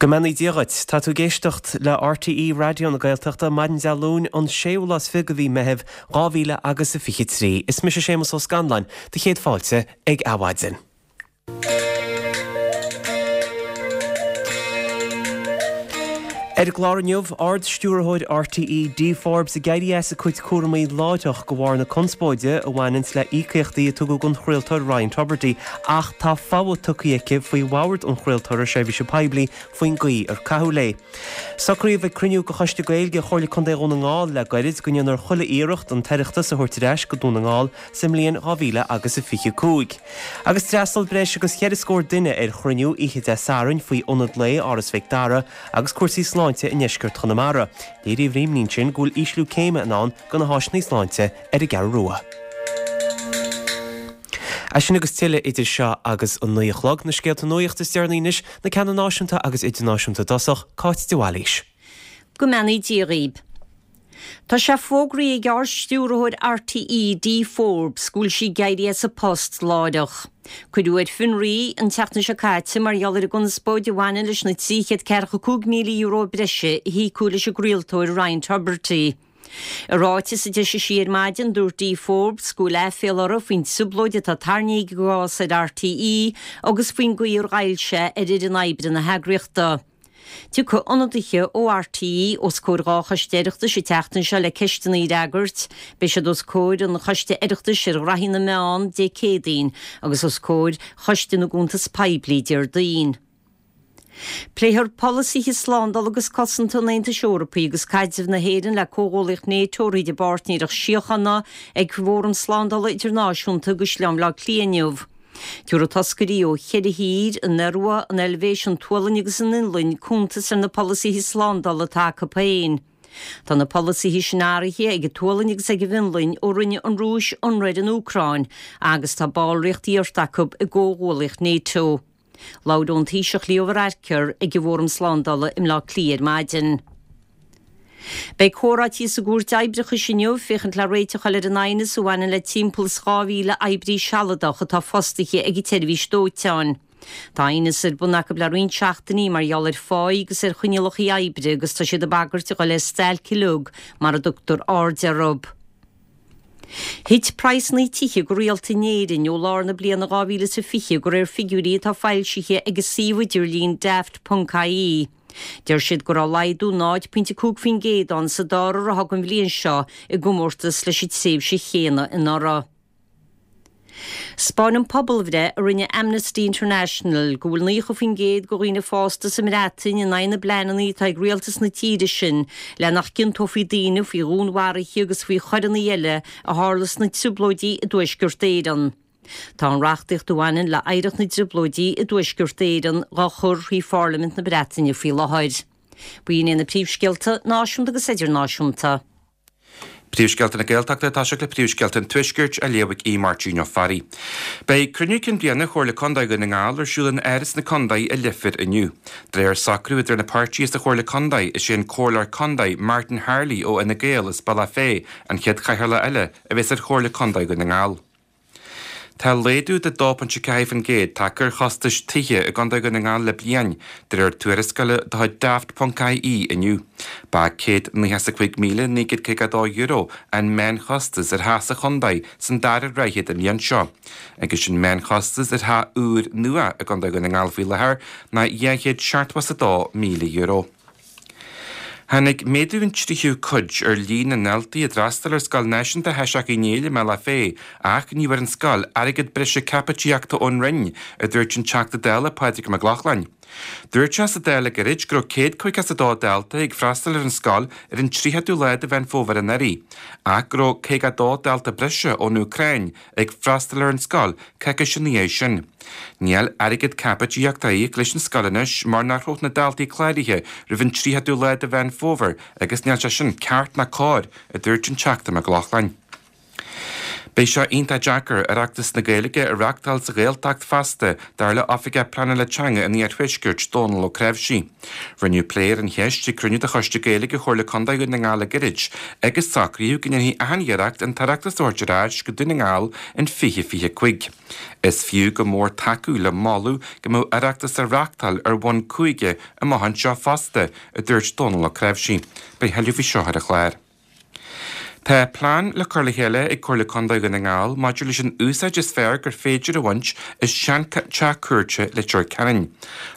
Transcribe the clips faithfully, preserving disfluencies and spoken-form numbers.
Go mbeannaí Dia dhuit. Tá tú ag éisteacht le RTÉ Raidió na Gaeltachta maidin Dé Luain an séú lá is fiche de mhí Meitheamh dhá mhíle agus a fiche trí. Is mise Séamus Ó Scanláin, do chéad fáilte ag Adhmhaidin. Ar an gclár inniu, Ard-Stiúrthóir RTÉ Dee Forbes ag éirí as a cuid cúramaí láithreach de bharr na conspóide a bhaineanns le íocaíochtaí a tugadh don chraoltóir Ryan Tubridy ach tá fogha tugtha aici faoi Bhord an Chraoltóra Seirbhíse Poiblí faoin gcaoi ar caitheadh léi. Socraíodh ag cruinniú de Choiste Gaeilge Chomhairle Contae Dhún na nGall le gairid go ndéanfar chuile iarracht an tOireachtas a thabhairt ar ais go Dún na nGall sa mbliain dhá mhíle agus a fiche cúig. Agus d'fhreastail breis agus cheithre scór duine ar chruinniú oíche Dé Sathairn faoi Ionad Lae Áras Mhic Dara agus cúrsaí sláinte i ndeisceart Chonamara. Léiríodh an imní ansin go bhfuil ísliú céime i ndán do na háiseanna sláinte ar an gCeathrú Rua. É sin agus tuilleadh idir seo agus an naoi a chlog, na scéalta nuachta is deireanaí anois, na ceanna náisiúnta agus idirnáisiúnta i dtosach, Cáit de Bhailís. Go mbeannaí Dia dhaoib. Tá sé fógraithe ag Ard-Stiúrthóir RTÉ, Dee Forbes, go bhfuil sí ag éirí as a post láithreach. Cuireadh ar fionraí í an tseachtain seo caite mar gheall ar an gconspóid a bhaineann leis na trí chéad ceathracha cúig míle euro breise a híocadh leis an gcraoltóir Ryan Tubridy. I ráiteas a d'eisigh sí ar maidin, dúirt Dee Forbes go bhfuil aiféala uirthi faoin trioblóid atá tarraingthe ag an gcás ar RTÉ agus faoin gcaoi ar ghoill sé ar fhoireann oibre na heagraíochta. Tiocfaidh ionadaithe ó RTÉ os comhair dhá choiste Oireachtais an tseachtain seo le ceisteanna a fhreagairt. Beidh siad os comhair an Choiste Oireachtais ar Ghraithí na Meán Dé Céadaoin agus os comhair Choiste na gCuntas Poiblí Déardaoin. Pléifear polasaithe slándála agus cosanta an Aontais Eorpaigh agus caidreamh na hÉireann le Comhghuallaíocht NATO thríd an bPáirtnéireacht Síochána ag Fóram Slándála Idirnáisiúnta i gCaisleán Bhaile Átha Cliath inniu. Tabharfaidh toscairí ó cheithre thír, an Iorua, an Eilvéis, an tSualainn agus an Fhionlainn, cuntas ar na polasaithe slándála atá acu féin. Tá na polasaithe sin athraithe ag an tSualainn agus ag an bhFionlainn ó rinne an Rúis ionradh ar an Úcráin agus tá ballraíocht iarrta acu i gcomhghuallaíocht NATO. Labhróidh an Taoiseach Leo Varadkar ag an bhFóram Slándála i mBleá Cliath ar maidin. Beidh comhráití sa gCúirt Oibreachais inniu féachaint le réiteach a fháil ar an aighneas a bhaineann le timpeall is dhá mhíle oibrí sealadach atá fostaithe ag an tseirbhís dóiteáin. Tá aighneas ar bun acu le roinnt seachtainí mar gheall ar pháí agus ar choinníollacha oibre agus tá siad ag bagairt a dhul ar stailc uilig mara dtugtar aird orthu. Thit praghsanna tithe go rialta in Éirinn ó lár na bliana dhá mhíle is a fiche de réir figiúirí atá foilsithe ag an suíomh idirlín Daft ponc ie. Deir siad go raibh laghdú náid pointe cúig faoin gcéad ann sa dara ráithe den bhliain seo i gcomórtas leis an tréimhse chéanna anuraidh. 'Spáineann pobalbhreith a rinne Amnesty International go bhfuil naocha faoin gcéad de dhaoine fásta sa mBreatain in aghaidh na bpleananna atá ag rialtas na tíre sin le nach gciontófaí daoine faoi dhúnmharuithe agus faoi choireanna eile a tharla sna trioblóidí i dTuaisceart Éireann. Tá an reachtaíocht a bhaineann le hoidhreacht na dtrioblóidí i dTuaisceart Éireann dhá chur thrí Pharlaimint na Breataine faoi láthair. B'in iad na príomhscéalta náisiúnta agus idirnáisiúnta. Príomhscéalta na Gaeltachta ag toiseacht le Príomhscéalta an Tuaiscirt á léamh ag Aodh Máirtín Ó Fearraigh. Beidh cruinniú cinn bliana Chomhairle Contae Dhún na nGall ar siúl in Áras na Contae i Leifear inniu. De réir socrú idir na páirtithe sa Chomhairle Contae, is é an Comhairleoir Contae Martin Harley ó Fhine Gael as Bealach Féich an chéad chathaoirleach eile a bheas ar Chomhairle Contae Dhún na nGall. Tá laghdú de dó ponc a ceathair faoin gcéad tagtha ar chostais tithe i gContae Dhún na nGall le bliain, de réir tuarascála de chuid Daft ponc ie inniu. Ba céad nócha is a cúig míle naoi gcéad caoga a dó euro an meánchostas ar theach sa chontae san dara ráithe den bhliain seo, agus an meánchostas ar theach úr nua i gContae Dhún na nGall faoi láthair ná dhá chéad seachtó is a dó míle euro. Tháinig méadú an tríú cuid ar líon na ndaltaí a d'fhreastail ar Scoil Náisiúnta Thaoiseach Uí Néill i mBealach Féich ach ní bhfuair an scoil airgead breise caipitíochta ón Roinn, a dúirt an Teachta Dála Pádraig Mac Lochlainn. Dúirt sé sa Dáil le gairid go raibh céad caoga is a dó dalta ag freastal ar an scoil ar an tríochadú lá de Mheán Fómhair anuraidh ach go raibh caoga a dó dalta breise ón Úcráin ag freastal ar an scoil coicís ina dhiaidh sin. Níl airgead caipitíochta á íoc leis an scoil anois mar nach raibh na daltaí cláraithe roimh an tríochadú lá de Mheán Fómhair agus níl sé sin ceart ná cóir, a dúirt an Teachta Mac Lochlainn. Beidh sé iontach deacair Oireachtas na Gaeilge a reáchtáil sa Ghaeltacht feasta dar le Oifigeach Pleanála Teanga an Iarthuaiscirt Dónal Ó Creabhsí. Rinneadh plé ar an cheist ag cruinniú de Choiste Gaeilge Chomhairle Contae Dhún na nGall le gairid agus socraíodh go ndéanfaí achan iarracht an tOireachtas a thabhairt ar ais go Dún na nGall in fiche fiche cúig. Is fiú go mór tacú le moladh go mbeadh Oireachtas á reáchtáil ar bhonn cúige amach anseo fosta, a dúirt Dónal Ó Creabhsí. Beidh tuilleadh faoi seo ar an chlár. Tá plean le cur le chéile ag Comhairle Contae Dhún na nGall maidir leis an úsáid is fearr gur féidir a bhaint as seanteach cúirte Leitir Ceanainn.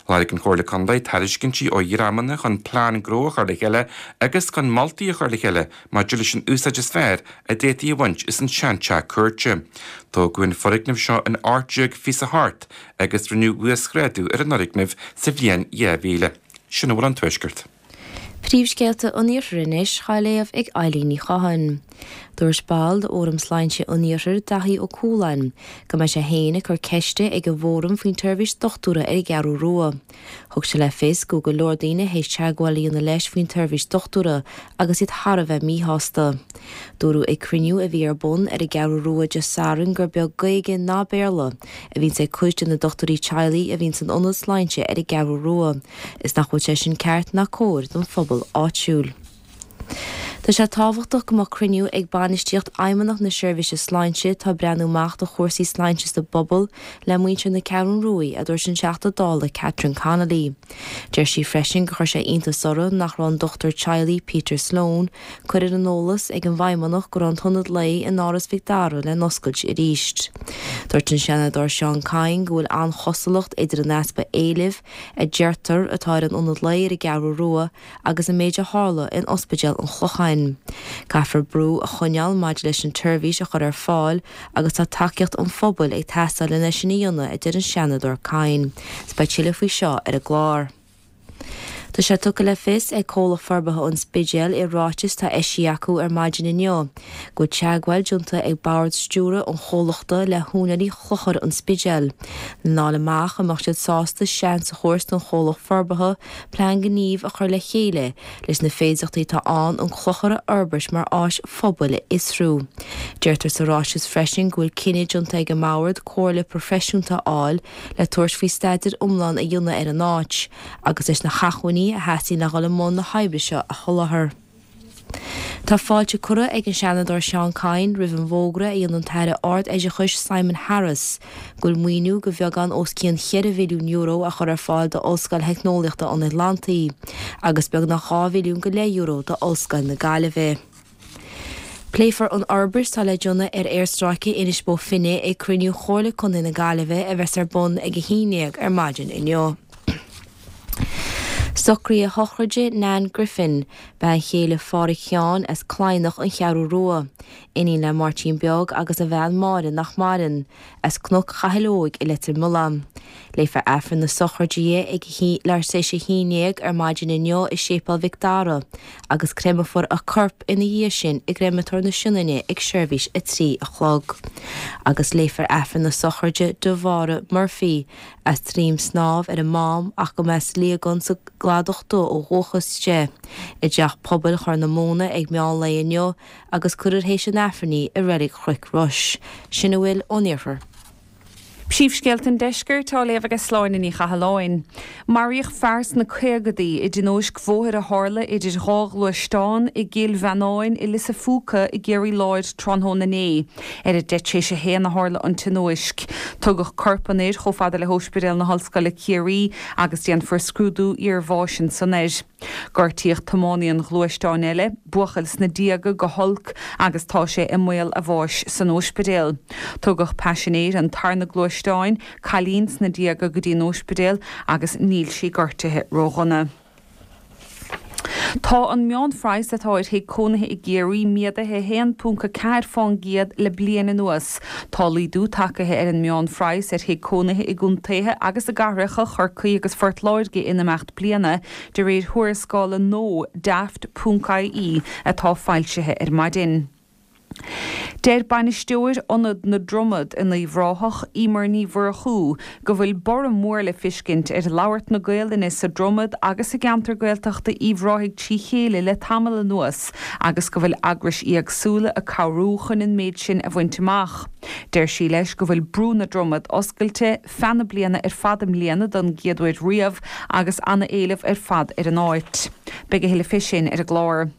Lorg an Chomhairle Contae tairiscintí ó dhreamanna chun plean gnó a chur le chéile agus chun moltaí a chur le chéile maidir leis an úsáid is fearr a d'fhéadfaí a bhaint as an seanteach cúirte. Tógadh an foirgneamh seo in ocht déag fiche a hocht agus rinneadh uasghrádú ar an fhoirgneamh sa bhliain dhá mhíle. Sin a bhfuil ón Tuaisceart. Príomhscéalta an Iarthair anois á léamh ag Eilín Ní Chatháin. Dúirt ball de Fhóram Sláinte an Iarthair Daithí Ó Cualáin go mbeidh sé féin ag cur ceiste ag an bhfóram faoin tseirbhís dochtúra ar an gCeathrú Rua. Thug sé le fios go go leor daoine théis teagmháil a dhéanamh leis faoin tseirbhís dochtúra agus iad thar a bheith míshásta. Dúradh ag cruinniú a bhí ar bun ar an gCeathrú Rua Dé Sathairn gur beag Gaeilge ná Béarla a bhíonns ag cuid de na dochtúirí teaghlaigh a bhíonn san ionad sláinte ar an gCeathrú Rua, is nach bhfuil sé sin ceart ná cóir don phobal áitiúil. Tá sé tábhachtach go mbeadh cruinniú ag bainistíocht Fheidhmeannacht na Seirbhíse Sláinte atá ag breathnú amach do chúrsaí sláinte sa bpobal le muintir na Ceathrún Rua, a dúirt an Teachta Dála Catherine Connolly. Deir sí freisin gur chuir sé iontas uirthi nach raibh an dochtúir teaghlaigh Peter Sloan curtha ar an eolas ag an bhFeidhmeannacht go raibh an t-ionad lae in Áras Mhic Dara le n-oscailt arís. Dúirt an Seanadóir Seán Kyne go bhfuil an-chosúlacht idir an easpa éilimh a deirtear atá ar an ionad lae ar an gCeathrú Rua agus an méid a tharla in Ospidéal an Chlocháin. Caithfear brú a choinneáil maidir leis an tseirbhís a chur ar fáil agus tá tacaíocht an phobail ag teastáil lena sin a dhéanamh a deir an Seanadóir Kyne. Beidh tuilleadh faoi seo ar an gclár. Tá sé tugtha le fios ag Comhlacht Forbartha an Spidéil i ráiteas atá eisithe acu ar maidin inniu, go bhfuil teagmháil déanta ag bord stiúrtha an chomhlachta le húinéirí Chlochar an Spidéil. Lena fháil amach an mbeadh siad sásta seans a thabhairt don chomhlacht forbartha plean gnímh a chur le chéile leis na féidearthachtaí atá ann an clochar a fhorbairt mar áis phobail a fhiosrú. Deirtear sa ráiteas freisin go bhfuil cinneadh déanta ag an mbord comhairle proifisiúnta a fháil le tabhairt faoi staidéar iomlán a dhéanamh ar an áit, agus leis na hacmhainní a theastaíonn le dhul i mbun na hoibre seo a sholáthar. Tá fáilte curtha ag an Seanadóir Seán Kyne roimh an bhfógra a dhein an tAire Ard-Oideachais Simon Harris, go bhfuil maoiniú de bheagán os cionn cheithre mhilliún euro a chur ar fáil d'Ollscoil Theicneolaíochta an Atlantaigh, agus beagnach dhá mhilliún go leith euro d'Ollscoil na Gaillimhe. Pléifear an fhorbairt atá le déanamh ar aerstráice Inis Bó Finne ag cruinniú Chomhairle Contae na Gaillimhe a bheas ar bun ag a haon déag ar maidin inniu. Socruithe sochraide Nan Griffin, bean chéile Phádraig Sheáin as Cladhnach an Cheathrú Rua, iníon le Máirtín Beag agus a bhean Máire nach maireann, as Cnoc Chathail Óig i Leitir Mealláin. Léifear Aifreann na sochraide di ag leathuair tar éis a haon déag ar maidin inniu i Séipéal Mhic Dara, agus créamfar a corp ina dhiaidh sin i gCreamatóir na Sionainne ag seirbhís a trí a chlog. Agus léifear Aifreann na sochraide do Mháire Murphy, as Droim Snámh ar an Mám ach go mbeas Liagán sa gCladach Dubh ó dhúchas di, i dteach pobail Chorr na Móna ag meán lae inniu agus cuirfear théis an Aifrinn í i Reilig Chnoic Rois. Sin a bhfuil ón Iarthar. Príomhscéalta an Deiscirt á léamh ag Sláine Ní Chathalláin. Maraíodh fear sna caogadaí i dtionóisc bhóthair a tharla idir dhá ghluaisteán i gCill Mheannáin i Lios a' Phúca i gCiarraí Láir tráthnóna inné. Ar a deich tar éis a haon a tharla an tionóisc. Tugadh corp an fhir chomh fada le hOspidéal na hOllscoile Ciarraí agus déanfar scrúdú iarbháis ansan air. Gortaíodh tiománaí an ghluaisteáin eile, buachaill sna déaga go holc agus tá sé i mbaol a bháis san ospidéal. Tugadh paisinéir an tarna gluaisteáin, cailín sna déaga go dtí an ospidéal agus níl sí gortaithe ródhona. Tá an meánphraghas atá ar thigh cónaithe i gCiarraí méadaithe haon ponc a ceathair faoin gcéad le bliain anuas. Tá laghdú tagtha ar an meánphraghas ar thigh cónaithe i gcontaetha agus i gcathracha Chorcaí agus Phort Láirge in imeacht bliana, de réir thuarascála nua Daft ponc I E atá foilsithe ar maidin. Deir bainisteoir Ionad na Dromad in Uíbh Ráthach, Emer Ní Mhurchú, go bhfuil borradh mór le fiscint ar labhairt na Gaelainne sa Dromad agus i gceantar Gaeltachta Uíbh Ráthaigh trí chéile le tamall anuas agus go bhfuil eagrais éagsúla ag cabhrú chun an méid sin a bhaint amach. Deir sí leis go bhfuil Brú na Dromad oscailte feadh na bliana ar fad i mbliana don gcéad uair riamh agus an-éileamh ar fad ar an áit. Beidh a thuilleadh fé sin ar an gclár.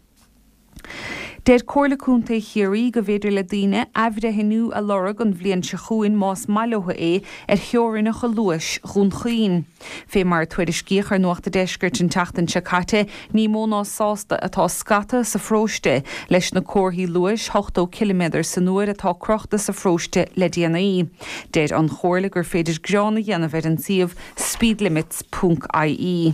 Deir Comhairle Contae Chiarraí go bhféidir le daoine athbhreithniú a lorg an bhliain seo chugainn más maith leo é ar theorainneacha luais Dhún Chaoin. Fé mar a tuairiscíodh ar Nuacht an Deiscirt an tseachtain seo caite, ní mó ná sásta atá scata sa pharóiste leis na comharthaí luais ochtó ciliméadar san uair atá crochta sa pharóiste le déanaí. Deir an Chomhairle gur féidir gearán a dhéanamh ar an suíomh speedlimits ponc ie.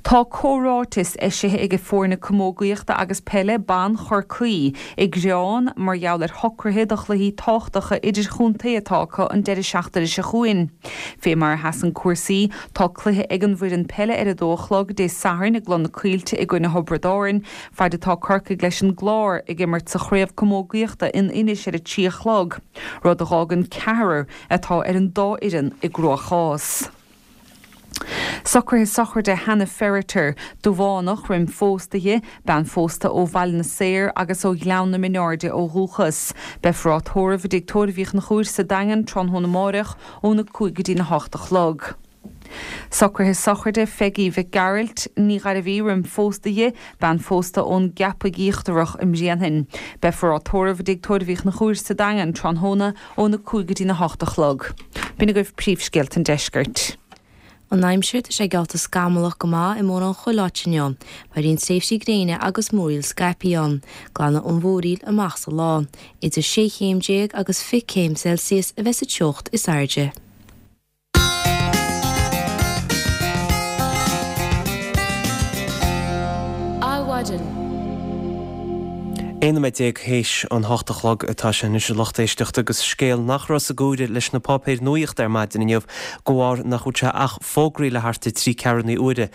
Tá comhráiteas eisithe ag foirne camógaíochta agus peile ban Chorcaí ag gearán mar gheall ar shocruithe do chluichí tábhachtacha idirchontae atá acu an deireadh seachtaine seo chugainn. Fé mar a sheasann cúrsaí, tá cluiche ag an bhfoireann peile ar a dó a chlog Dé Sathairn i gCloich na Coillte i gcoinne Thiobraid Árann, faid atá Corcaigh leis an gClár ag imirt sa chraobh camógaíochta in Inis ar a trí a chlog, rud a dh'fhágann ceathrar atá ar an dá fhoireann i gcruachás. Socruithe sochraide Hannah Ferriter, Dubhánach roim phósadh di, bean phósta ó Bhaile na Saor agus ó Ghleann na Mionairde ó dhúchas. Beifear á tórramh i dTigh Tórraimh Uí Chonchúir sa Daingean tráthnóna amáireach óna cúig go dtína hocht a chlog. Socruithe sochraide Pheigí Mhic Gearailt, Ní Ghairbhí roim phósadh di, bean phósta ón gCeapaigh Íochtarach i mBréanainn. Beifear á tórramh i dTigh Tórraimh Uí Chonchúir sa Daingean tráthnóna óna cúig go dtína hocht a chlog. B'in agaibh príomhscéalta an deiscirt. An aimsir, tá sé geallta scamallach go maith i mórán chuile áit inniu. Beidh roinnt tréimhsí gréine agus múraíl scaipthe ann. Glanfaidh an mhúraíl amach sa lá. Idir sé chéim déag agus fiche céim Celsius a bheas sa teocht is airde. Adhmhaidin. Aon nóiméad déag théis an hocht a chlog atá sé anois a lucht éisteachta agus scéal nach raibh sa gcomhaireamh leis na páipéir nuaíochta ar maidin inniu de bharr nach bhfuil sé ach fógraithe le thart ar trí ceathrú na huaire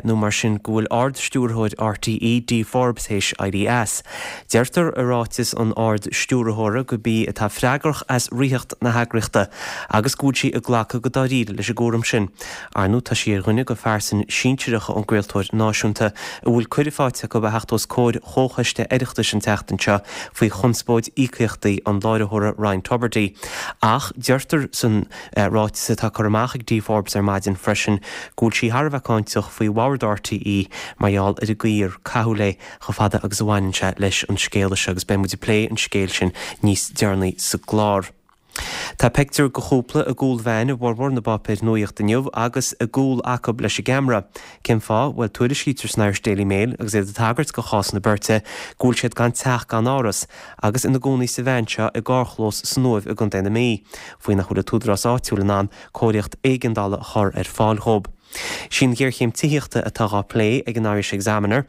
nó mar sin go bhfuil Ard-Stiúrthóir RTÉ, Dee Forbes théis éirí as. Deirtear i ráiteas an Ard-Stiúrthóra gurb í atá freagrach as reathacht na heagraíochta agus go bhfuil sí ag glacadh go dáiríre leis an gcúram sin. Ar ndóigh tá sí ar dhuine de phearsain sinsearacha ón gcraoltóir náisiúnta a bhfuil cuireadh faighte acu a theacht os comhair Chomhchoiste Oireachtais an tseachtain seo faoi chonspóid íocaíochtaí an láithreora Ryan Tubridy. Ach deirtear san ráiteas atá curtha amach ag Dee Forbes ar maidin freisin go bhfuil sí thar a bheith cáinteach faoi bhord RTÉ mar gheall ar an gcaoi ar caitheadh léi chomh fada agus a bhaineann sé leis an scéala seo agus beidh muid ag plé an scéil sin níos deireanaí sa gclár. Tá pictiúr de chúpla i gcúl veain i bhformhór na bpáipéar nuaíochta inniu agus a gcúl acu leis an gceamara. Cén fáth? Bhuel, tuairiscítear san Irish Daily Mail, agus iad ag tagairt do chás na beirte, go bhfuil siad gan teach gan áras agus ina gcónaí sa veain seo i gcarrchlós san Uaimh i gContae na Mí, faoi nach bhfuil an t-údarás áitiúil in ann cóiríocht éigeandála a chur ar fáil dhóibh. Sí an ghéarchéim tithíochta atá dhá plé ag an Irish Examiner.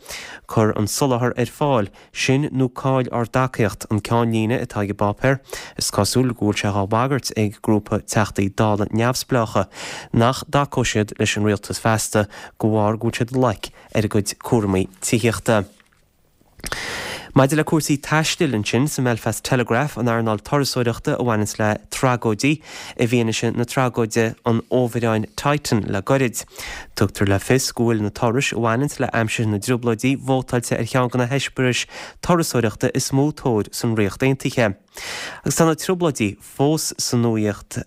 Cuir an soláthar ar fáil, sin nó caill ár dtacaíocht, an ceannlíne atá ag an bpáipéar. Is cosúil go bhfuil sé dhá bhagairt ag grúpa Teachtaí Dála neamhspleácha nach dtacóidh siad leis an rialtas feasta de bharr go bhfuil siad olc ar a gcuid cúramaí tithíochta. Maidir le cúrsaí taistil ansin sa mBelfast Telegraph, an earnáil turasóireachta a bhaineanns le tragóidí i bhfianaise na tragóide an fhomhuireáin Titan le goirid. Tugtar le fios go bhfuil na turais a bhaineanns le aimsir na dTrioblóidí vótáilte ar cheann de na heispéiris turasóireachta is mó tóir san Ríocht Aontaithe. Agus tá na Trioblóidí fós sa nuaíocht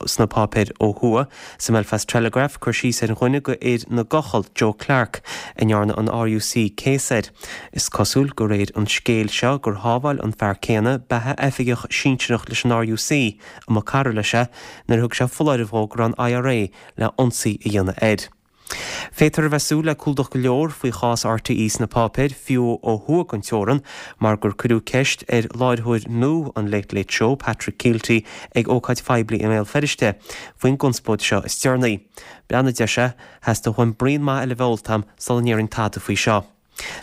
sna páipéir ó thuaidh. Sa mBelfast Telegraph, cur síos ar dhuine de fhir na gcochall, Joe Clarke, a ndearna an RUC céas air. Is cosúil, de réir an scéil seo, gur shábháil an fear céanna beatha oifigeach sinsearach leis an RUC, a mba cara leis é, nuair a thug sé foláireamh dhó go raibh an IRA le ionsaí a dhéanamh air. Féadtar a bheith ag súil le clúdach go leor faoi chás RTÉ sna páipéir, fiú ó thuaidh den teorann, mar gur cuireadh ceist ar láithreoir nua an Late Late Show, Patrick Kielty, ag ócáid phoiblí i mBéal Feirste, faoin gconspóid seo is deireanaí. Breathnaigh, a deir sé, theastaigh uaim braon maith eile a bheith ólta a'm sula ndéarfainn tada faoi seo.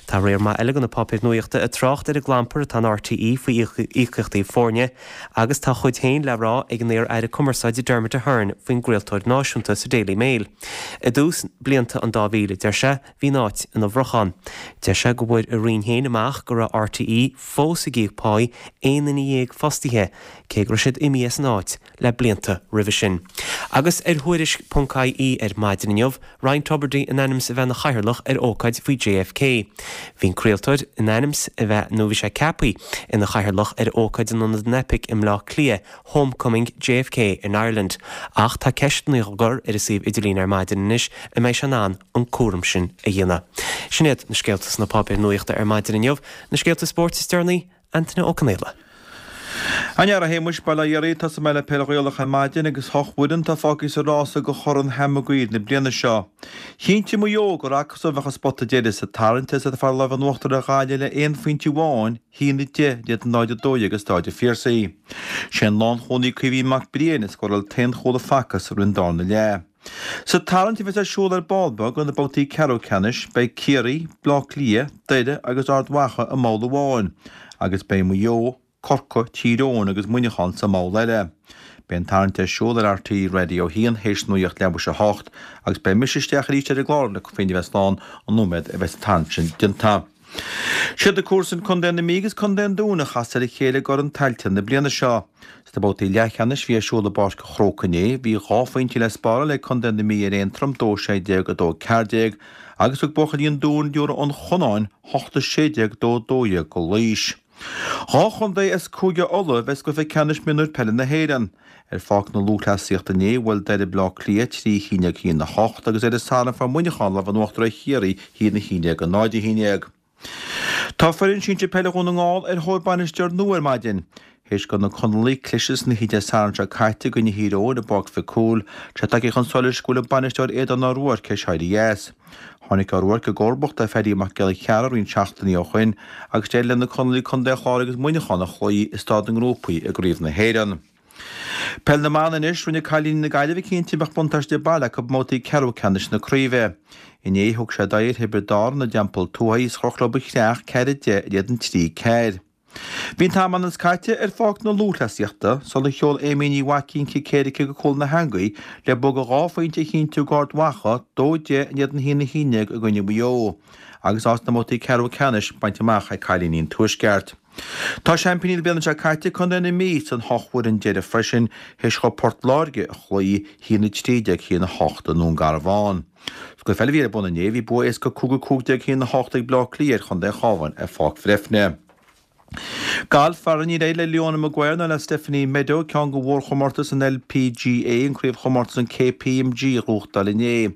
Tá riar maith eile de na páipéir nuachta ag trácht ar an gclampar atá in RTÉ faoi íocaíochtaí foirne agus tá a chuid féin le rá ag an iar-aire cumarsáide Dermot Ahern faoin gcraoltóir náisiúnta sa Daily Mail. I dtús blianta an dá mhíle, deir sé, bhí an áit ina bhrocháin. Deir sé go bhfuair a roinn féin amach go raibh RTÉ fós ag íoc páí aon duine dhéag fostaithe, cé go raibh siad imithe as an áit le blianta roimhe sin. Agus ar Thuairisc ponc IE ar maidin inniu, Ryan Tubridy in ainm 's a bheith ina chathaoirleach ar ócáid faoi JFK. Bhí an craoltóir in ainm 's a bheith, nó bhí sé ceaptha, ina chathaoirleach ar ócáid in Ionad an Eipic i mBleá Cliath, Homecoming JFK in Ireland. Ach tá ceisteanna á gcur ar an suíomh idirlín ar maidin anois an mbeidh sé in ann an cúram sin a dhéanamh. Sin iad na scéalta sna páipéir nuachta ar maidin inniu. Na scéalta spóirt is deireanaí, Antaine Ó Conaola. A fheara, a Shéamuis, bail ó Dhia oraibh, tosóidh mé le Peil Ghaelach ar maidin agus ocht bhfoireann atá fágtha sa rása do Chorn Sam Maguire na bliana seo. Chinntigh Maigh Eo gur acusan a bheadh an spota deiridh sa tarraingt agus iad ag fáil lámh in uachtar ar Ghaillimh le aon phointe amháin, a haon a deich in éadan náid a dó dhéag i Stáid an Phiarsaigh. Sé an lánchúlaí Caoimhín Mac Briain a scóráil an t-aon chúl a facthas sa darna leath. Sa tarraingt a bheas ar siúl ar ball beag do na babhtaí ceathrú ceannais, beidh Ciarraí, Bleá Cliath, Doire agus Ard Mhacha i mball amháin agus beidh Maigh Eo, Corcaigh, Tír Eoghain agus Muineachán sa mball eile. Beidh an tarraingt ar siúl ar RTÉ Radio a haon théis nuacht leathuair théis a hocht agus beidh mise isteach arís ar an gclár le féin a bheith slán an nóiméad a bheas an tarraingt sin déanta. Siad na comharsain Contae na Mí agus Contae an Dúin a chas ar a chéile i gCorn Tailteann na bliana seo. Sna babhtaí leathcheannais a bhí ar siúl i bPáirc an Chrócaigh inné, bhí dhá phointe le spáráil ag Contae na Mí ar Aontroim, dó sé déag, a dó ceathair déag, agus thug buachaillí an Dúin Biorra an Chonáin hocht a sé déag, dó dó dhéag go Laois. Dhá chontae as Cúige Uladh a bheas i gcluiche ceannais mionúir peile na hÉireann. Ar Pháirc na Lúthchleasaíochta inné, bhuail Doire Bleá Cliath trí a haon déag a haon a hocht agus ar an Satharn fuair Muineachán lámh in uachtar ar Chiarraí a haon a haon déag a náid a haon déag. Tá foireann sinsir peile Dhún na nGall ar thóir bainisteoir nua ar maidin. Théis do na Conallaigh cliseadh sna hí Dé Sathairn seo caite i gcoinne Thír Eoghain i bPáirc Mhic Cumhaill, tá sé tagtha chun solais go bhfuil an bainisteoir Aodán Ó Ruairc théis éirí as. Tháinig Ó Ruairc i gcomharbacht ar Phaddy Mac Giolla Chearra roinnt seachtainí ó shoin agus d'éirigh le na Conallaigh Contae an Chláir agus Muineachán a chloí i staid na ngrúpaí i gCraobh na hÉireann. Peil na mBan anois, rinne cailíní na Gaillimhe cinnte go mbeadh buntáiste baile acu i mbabhtaí ceathrú ceannais na craoibhe. Inné thug siad aghaidh ar Thiobraid Árann i dTeampall Tuathaigh is chroch leo an Chreach ceathair a deich in éadan trí ceathair. Bhí an t-am ionann is caite ar Pháirc na Lúthchleasaíochta sular sheol Amy Ní Mhaicín cic éirice go cúl na heangaí le bua de dhá phointe a chinntiú d'Ard Mhacha, dó deich in éadan a haon a haon déag i gcoinne Mhaigh Eo, agus áit sna mbabhtaí ceathrú ceannais bainte amach ag cailíní an Tuaisceart. Tá seaimpíní na bliana seo caite, Contae na Mí, san hocht bhfoireann deiridh freisin, théis dhóibh Port Láirge a chloí, a haon a trí déag, a haon a hocht i nDún Garbhán. Sa gcluiche eile a bhí ar bun inné, bhí bua éasca cúig a cúig déag, a haon a hocht ag Bleá Cliath ar Chontae an Chabháin ar Pháirc Bhreifne. Galf, faraor níor éirigh le Leona Maguire ná le Stephanie Meadow ceann de mhórchomórtais an LPGA, an craobhchomórtas an KPMG, a ghnóthachtáil inné.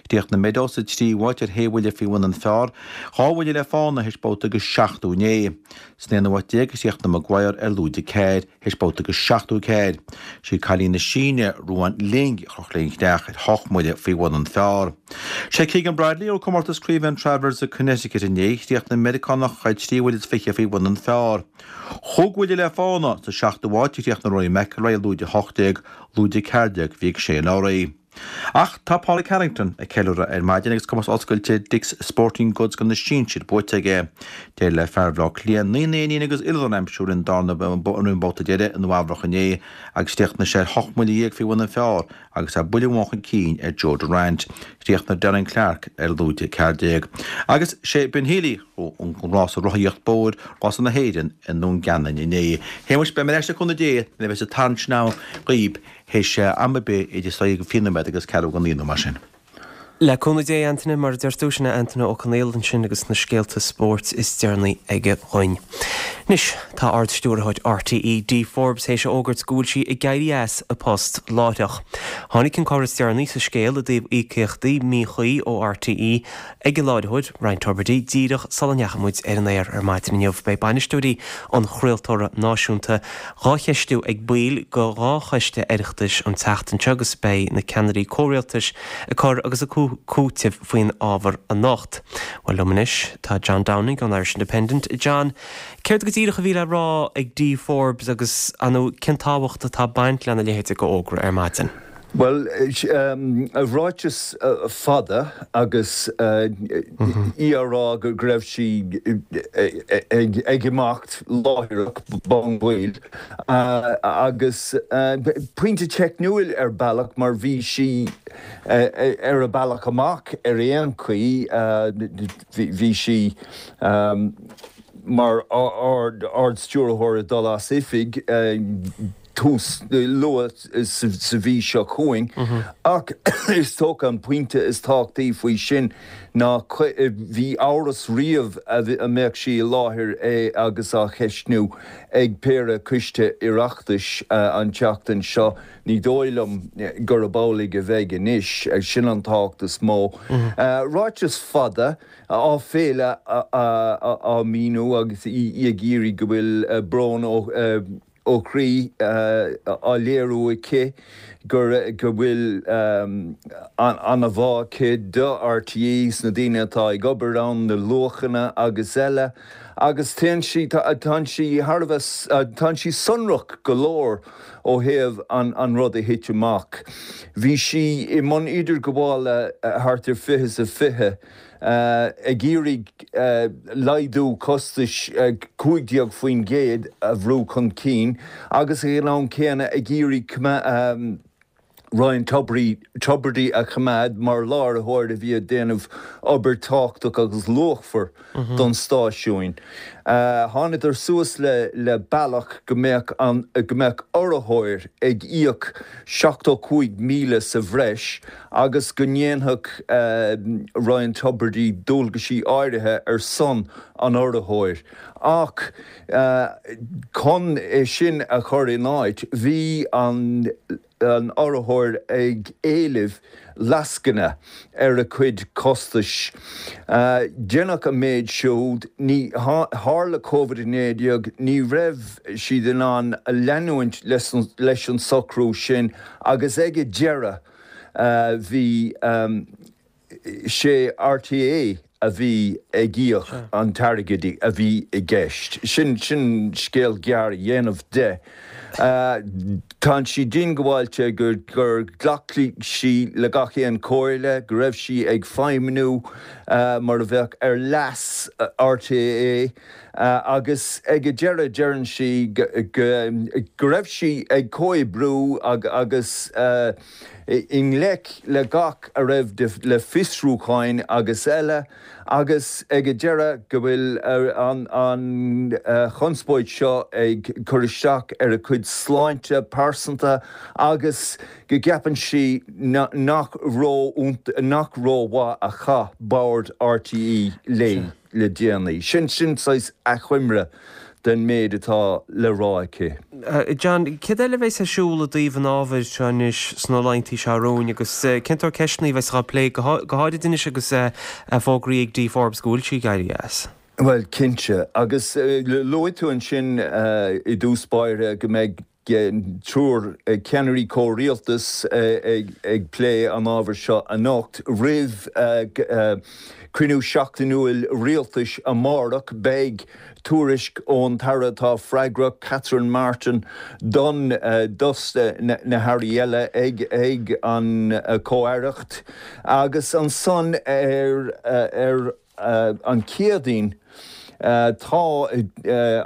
Chríochnaigh Meadow sa tríú háit ar shé bhuille faoi bhun an phar, dhá bhuille le fána théis babhta agus seachtó inné. San aonú háit déag a chríochnaigh Maguire ar lúide ceathair théis babhta agus seachtó ceathair. Sí cailín na Síne, Ruan Ling, a chroch léi an chreach ar hocht mbuille faoi bhun an phar. Sé Keegan Bradley a ghnóthaigh comórtas craoibhe an Travelers i Connecticut inné. Chríochnaigh an Meiriceánach ar trí bhuille is fiche faoi bhun an phar. Chúig bhuille le fána sa seachtú háit a chríochnaigh Rory McIlroy ar lúide a hocht déag, lúide ceathair déag a bhí ag Shane Lowry. Ach tá Pádraig Harrington ag ceiliúradh ar maidin agus comórtas oscailte Dick's Sporting Goods do na sinsir buaite aige. D'éirigh le fear Bhaile Átha Cliath naoi n-éinín agus ilrann a aimsiú roimh an darna roimh an mbabhta deiridh i Nua Eabhrac inné agus chríochnaigh sé ar hocht mbuille dhéag faoi bhun an phar agus é buille amháin chun cinn ar Joe Durant. Chríochnaigh Darren Clarke ar lúide ceathair déag. Agus sé Ben Healy a ghnóthaigh an rása rothaíocht bóthair, rása na hÉireann i nDún Geanainn inné. Shéamuis, beidh mé ar ais le cúnamh Dé nuair a bheas an tarraingt sin agam dhaoib théis am ar bith idir sé go fiche nóiméad agus ceathrú go naoi nó mar sin. Le cúnamh Dé, Antaine, mar a deir tú, sin é Antaine Ó Conaola ansin agus na scéalta spóirt is deireanaí aige dhúinn. Anois, tá Ard-Stiúrthóir RTÉ, Dee Forbes, théis a fhógairt go bhfuil sí ag éirí as a post láithreach. Tháinig an cor is deireanaí sa scéal i dtaobh íocaíochtaí míchuí ó RTÉ ag an láithreoir, Ryan Tubridy, díreach sula ndeachaigh muid ar an aer ar maidin inniu. Beidh bainisteoirí an chraoltóra náisiúnta dhá cheistiú ag baill de dhá choiste Oireachtais an tseachtain seo agus beidh na ceannairí comhrialtais ag cur agus ag cúiteamh faoin ábhar anocht. Bhuel, liom anois tá John Downing ón Irish Independent. John, céard go díreach a bhí le rá ag Dee Forbes agus, ar ndóigh, cén tábhacht atá ag baint lena leithéid de fhógra ar maidin? Bhuel, ráiteas fada agus í á rá go raibh sí ag imeacht láithreach bonn baill agus pointe teicniúil ar bealach mar bhí sí ar a bealach amach ar aon chaoi, bhí sí mar Ard-Stiúrthóir ag dul as oifig. tús luath sa mhí seo chugainn, ach is dócha an pointe is tábhachtaí faoi sin ná bhí amhras riamh a mbeadh sí i láthair agus á cheistniú ag péire coiste Oireachtais an tseachtain seo. Ní dóigh liom gurb amhlaidh a bheidh anois. Sin an tábhacht is mó. Ráiteas fada, áiféala á míniú agus í ag iarraidh go bhfuil brón ó. ó chroí á léiriú aici gur go bhfuil an-bhá aici do RTÉ, sna daoine atá ag obair ann, na luachanna agus eile agus téann sí, tánn sí thar a bheith, tánn sí sonrach go leor ó thaobh an rud a thit amach. Bhí sí i mbun idirghabhála thart ar fiche is a fiche ag iarraidh laghdú costais cúig déag faoin gcéad a bhrú chun cinn agus ag an am céanna ag iarraidh Ryan Tubridy a choimeád mar láithreoir a bhí ag déanamh obair tábhachtach agus luachmhar don stáisiún. Thánadar suas le bealach go mbeadh an go mbeadh urraitheoir ag íoc seachtó cúig míle sa bhreis agus go ndéanfadh Ryan Tubridy dualgaisí áirithe ar son an urraitheoir. Ach chun é sin a chur in áit, bhí an an urraitheoir ag éileamh lascaine ar a cuid costais. Deineadh an méid siúd, ní tharla Covid a naoi déag, ní raibh siad in ann leanúint leis an socrú sin agus ag an deireadh bhí sé RTÉ a bhí ag íoc an t-airgead a bhí i gceist. Sin sin scéal gearr a dhéanamh de. Tánn sí diongbháilte gur gur ghlac sí le gach aon chomhairle, go raibh sí ag feidhmniú mar a bheadh ar leas RTÉ agus ag an deireadh deireann sí go raibh sí ag comhoibriú agus i ngleic le gach a raibh le fiosrúcháin agus eile agus ag an deireadh go bhfuil an chonspóid seo ag cur isteach ar a cuid sláinte pearsanta agus go gceapann sí nach nach rómhaith a chaith bord RTÉ léi le déanaí. Sin sin saghas achoimre den méid atá le rá aici. John, céard eile a bheas ar siúl i dtaobh an ábhair seo anois sna laethanta seo romhainn agus cén sórt ceisteanna a bheas á plé, go háirid anois agus fógraithe ag Dee Forbes go bhfuil sí ag éirí as? Bhuel, cinnte. Agus luaigh tú ansin i dtús báire go mbeidh triúr ceannairí comhrialtais ag plé an ábhair seo anocht roimh cruinniú seachtainiúil rialtais amárach. Beidh tuairisc ón tAire atá freagrach, Catherine Martin, don dos na hairí eile ag an Chomh-Aireacht agus ansan ar ar an Chéadaoin tá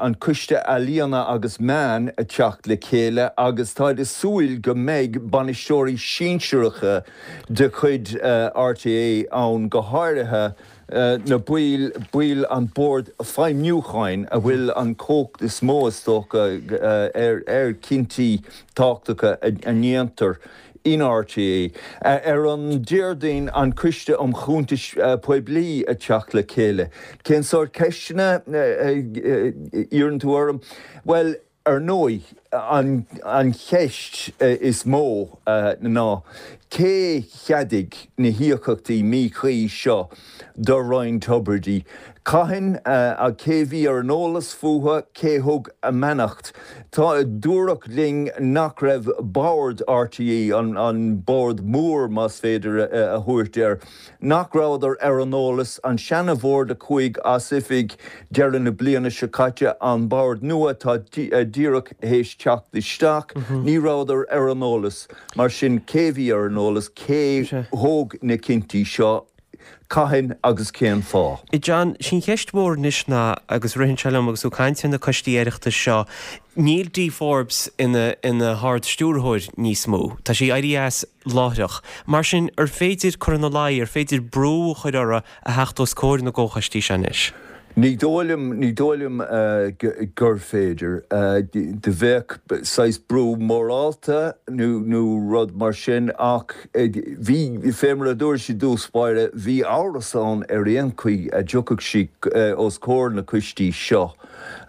an Coiste Ealaíona agus Meán ag teacht le chéile agus táid ag súil go mbeidh bainisteoirí sinsearacha de chuid RTÉ ann, go háirithe na baill, baill an Bhoird Feidhmiúcháin a bhfuil an chumhacht is mó, is dócha, ar chinntí tábhachtacha a ndéantar in RTÉ. Ar an Déardaoin, an Coiste um Chuntais Poiblí ag teacht le chéile. Cén sórt ceisteanna a iarrann tú orm? Bhuel, ar ndóigh, an cheist is mó ná cé cheadaigh na híocaíochtaí míchuí seo do Ryan Tubridy. Cathain a cé bhí ar an eolas fúthu cé thug a mbeannacht. Tá dúradh linn nach raibh bord RTÉ an, an bord mór más féidir a, a thabhairt air. Nach rabhadar ar an eolas an seanabhord a chuaigh as oifig deireadh na bliana seo caite an bord nua tá díreach théis teacht isteach, ní rabhadar ar an eolas, mar sin cé bhí ar an eolas cé thóg na cinntí seo cathain agus cén fáth. John, sin cheist mhór anois ná agus ritheann sé liom agus tú ag caint ar na coistí Oireachtais seo, níl Dee Forbes ina ina hArd-Stiúrthóir níos mó. Tá sí éirithe as láithreach. Mar sin, ar féidir cur ina luí, ar féidir brú a chur uirthi a theacht os comhair na gcomhchoistí seo anois? Ní dóigh liom ní dóigh liom gur féidir. Do bheadh saghas brú morálta nó nó rud mar sin ach bhí fé mar a dúirt i dtús báire bhí amhras ann ar aon chaoi a dtiocfadh sí os comhair na coistí seo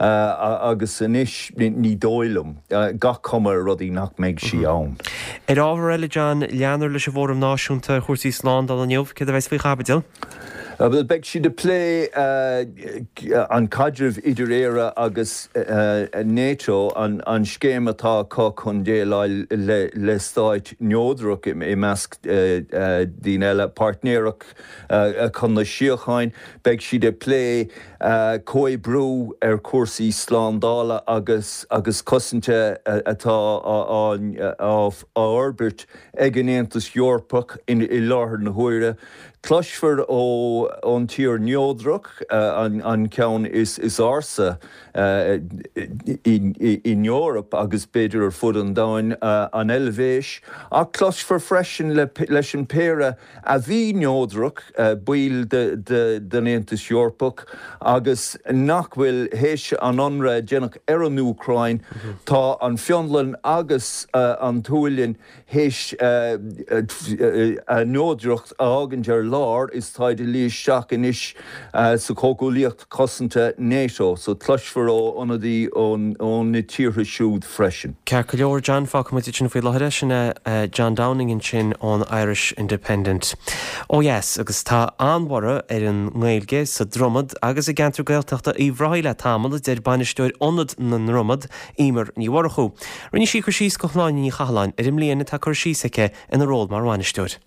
agus anois ní dóigh liom gach cuma ar rudaí nach mbeidh sí ann. Ar ábhar eile John, leanfar leis an bhFóram Náisiúnta ar chúrsaí slándála inniu, céard a bheas faoi chaibidil? Beidh siad ag plé an caidreamh idir Éire agus NATO, an scéim atá acu chun déileáil le stáit neodrach i measc daoine eile, páirtnéireacht chun na síocháin. Beidh siad ag plé comhoibriú ar chúrsaí slándála agus agus cosanta atá á fhorbairt ag an Aontas Eorpach i láthair na huaire. Cloisfear ó ón tír neodrach an, an ceann is, is ársa in, in Eoraip agus b'fhéidir ar fud an domhain an Eilvéis, ach cloisfear freisin le, leis an péire a bhí neodrach baill de, de, den Aontas Eorpach agus nach bhfuil théis an ionradh a déanadh ar an Úcráin, tá an Fionlainn agus an tSualainn théis a neodracht a fhágaint ar lár is táid ag luí isteach anois sa chomhghuaillíocht cosanta NATO, so cloisfear ó ionadaí ó na tíortha siúd freisin. Ceart go leor, John, fágfaidh muid sin faoi láthair sin é John Downing ansin ón Irish Independent. Ó dheas, agus tá an-bhorradh ar an nGaeilge sa Dromad agus i gceantar Gaeltachta Uíbh Ráthaigh le tamall, a deir bainisteoir Ionad na nDromad, Emer Ní Mhurchú. Rinne sí cur síos do Shláine Ní Chathalláin ar an mbliain atá curtha síos aici ina ról mar bhainisteoir.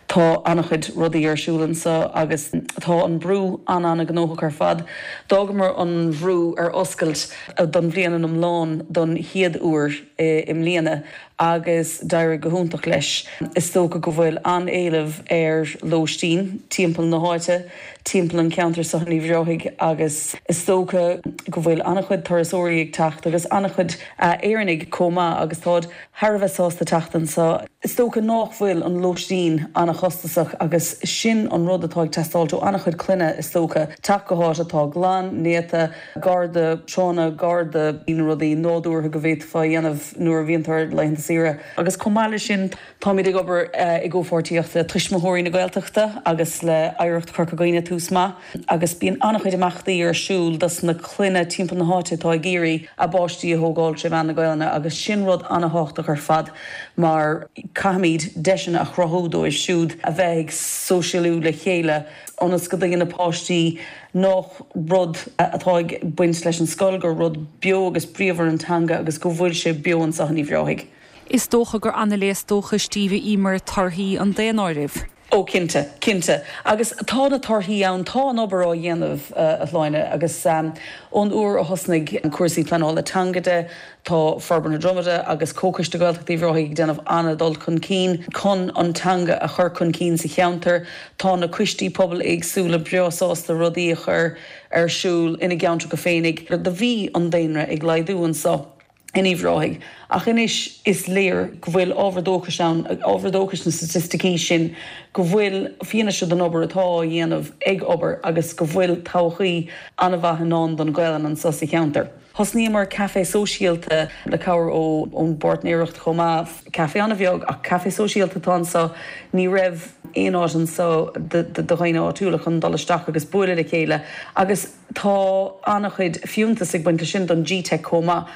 Tá an-chuid rudaí ar siúl anseo agus tá an brú an-an-ghnóthach ar fad. D'fhágamar an bhrú ar oscailt don bhliain an iomlán don chéad uair i mbliana agus d'éirigh go hiontach leis. Is dócha go bhfuil an-éileamh ar lóistín timpeall na háite, timpeall an ceantar seo in Uíbh Ráthaigh agus is dócha go bhfuil an-chuid turasóirí ag teacht agus an-chuid Éireannaigh chomh maith agus táid thar a bheith sásta teacht anseo. Is dócha nach bhfuil an lóistín an-chostasach agus sin an rud atá ag teastáil ó an-chuid clainne is dócha teacht go háit atá glan, néata, gar do tránna, gar do na rudaí nádúrtha go bhféadfá a dhéanamh nuair a bhíonn tú ar laethanta saoire. Agus chomh maith leis sin táimid ag obair i gcomhpháirtíocht le Tuismitheoirí na Gaeltachta agus le Oidhreacht Chorca Dhuibhne Tús Maith agus bíonn an-chuid imeachtaí ar siúl dos na clainne timpeall na háite atá ag iarraidh a bpáistí a thógáil trí mheán na Gaelainne agus sin rud an-tábhachtach ar fad mar caithfimid deiseanna a chruthú dóibh siúd a bheith ag sóisialú le chéile ionas go dtuigeann na páistí nach rud atá ag baint leis an scoil gur rud beo agus bríomhar an teanga agus go bhfuil sé beo anseo in Uíbh Ráthaigh. Is dócha gur an-léas dóchais daoibh Emer torthaí an daonáirimh. Ó cinnte, cinnte. Agus tá na torthaí ann tá an obair á dhéanamh a Shláine agus ón uair a thosnaigh an cúrsaí pleanála teanga de, tá Forbairt na Dromada agus Comhchoiste Gaeltachta Uíbh Ráthaigh ag déanamh an-dul chun cinn chun an teanga a chur chun cinn sa cheantar. Tá na coistí pobail éagsúla breá sásta rudaí a chur ar siúl ina gceantracha féinig. Do bhí an daonra ag laghdú anseo. in Uíbh Ráthaigh. Ach anois is léir go bhfuil ábhar dóchais ann, ábhar dóchais na staitisticí sin, go bhfuil fianaise den obair atá á dhéanamh ag obair agus go bhfuil todhchaí an-mhaith i ndán don Ghaelainn anseo sa cheantar. Thosnaíomar caife sóisialta le cabhair ó ón bpáirtnéireacht chomh maith, caife an-bheag ach caife sóisialta atá anseo. Ní raibh aon áit anseo do dhaoine áitiúla chun dul isteach agus bualadh le chéile agus tá an-chuid fiúntas ag baint leis sin don G-Teic chomh maith.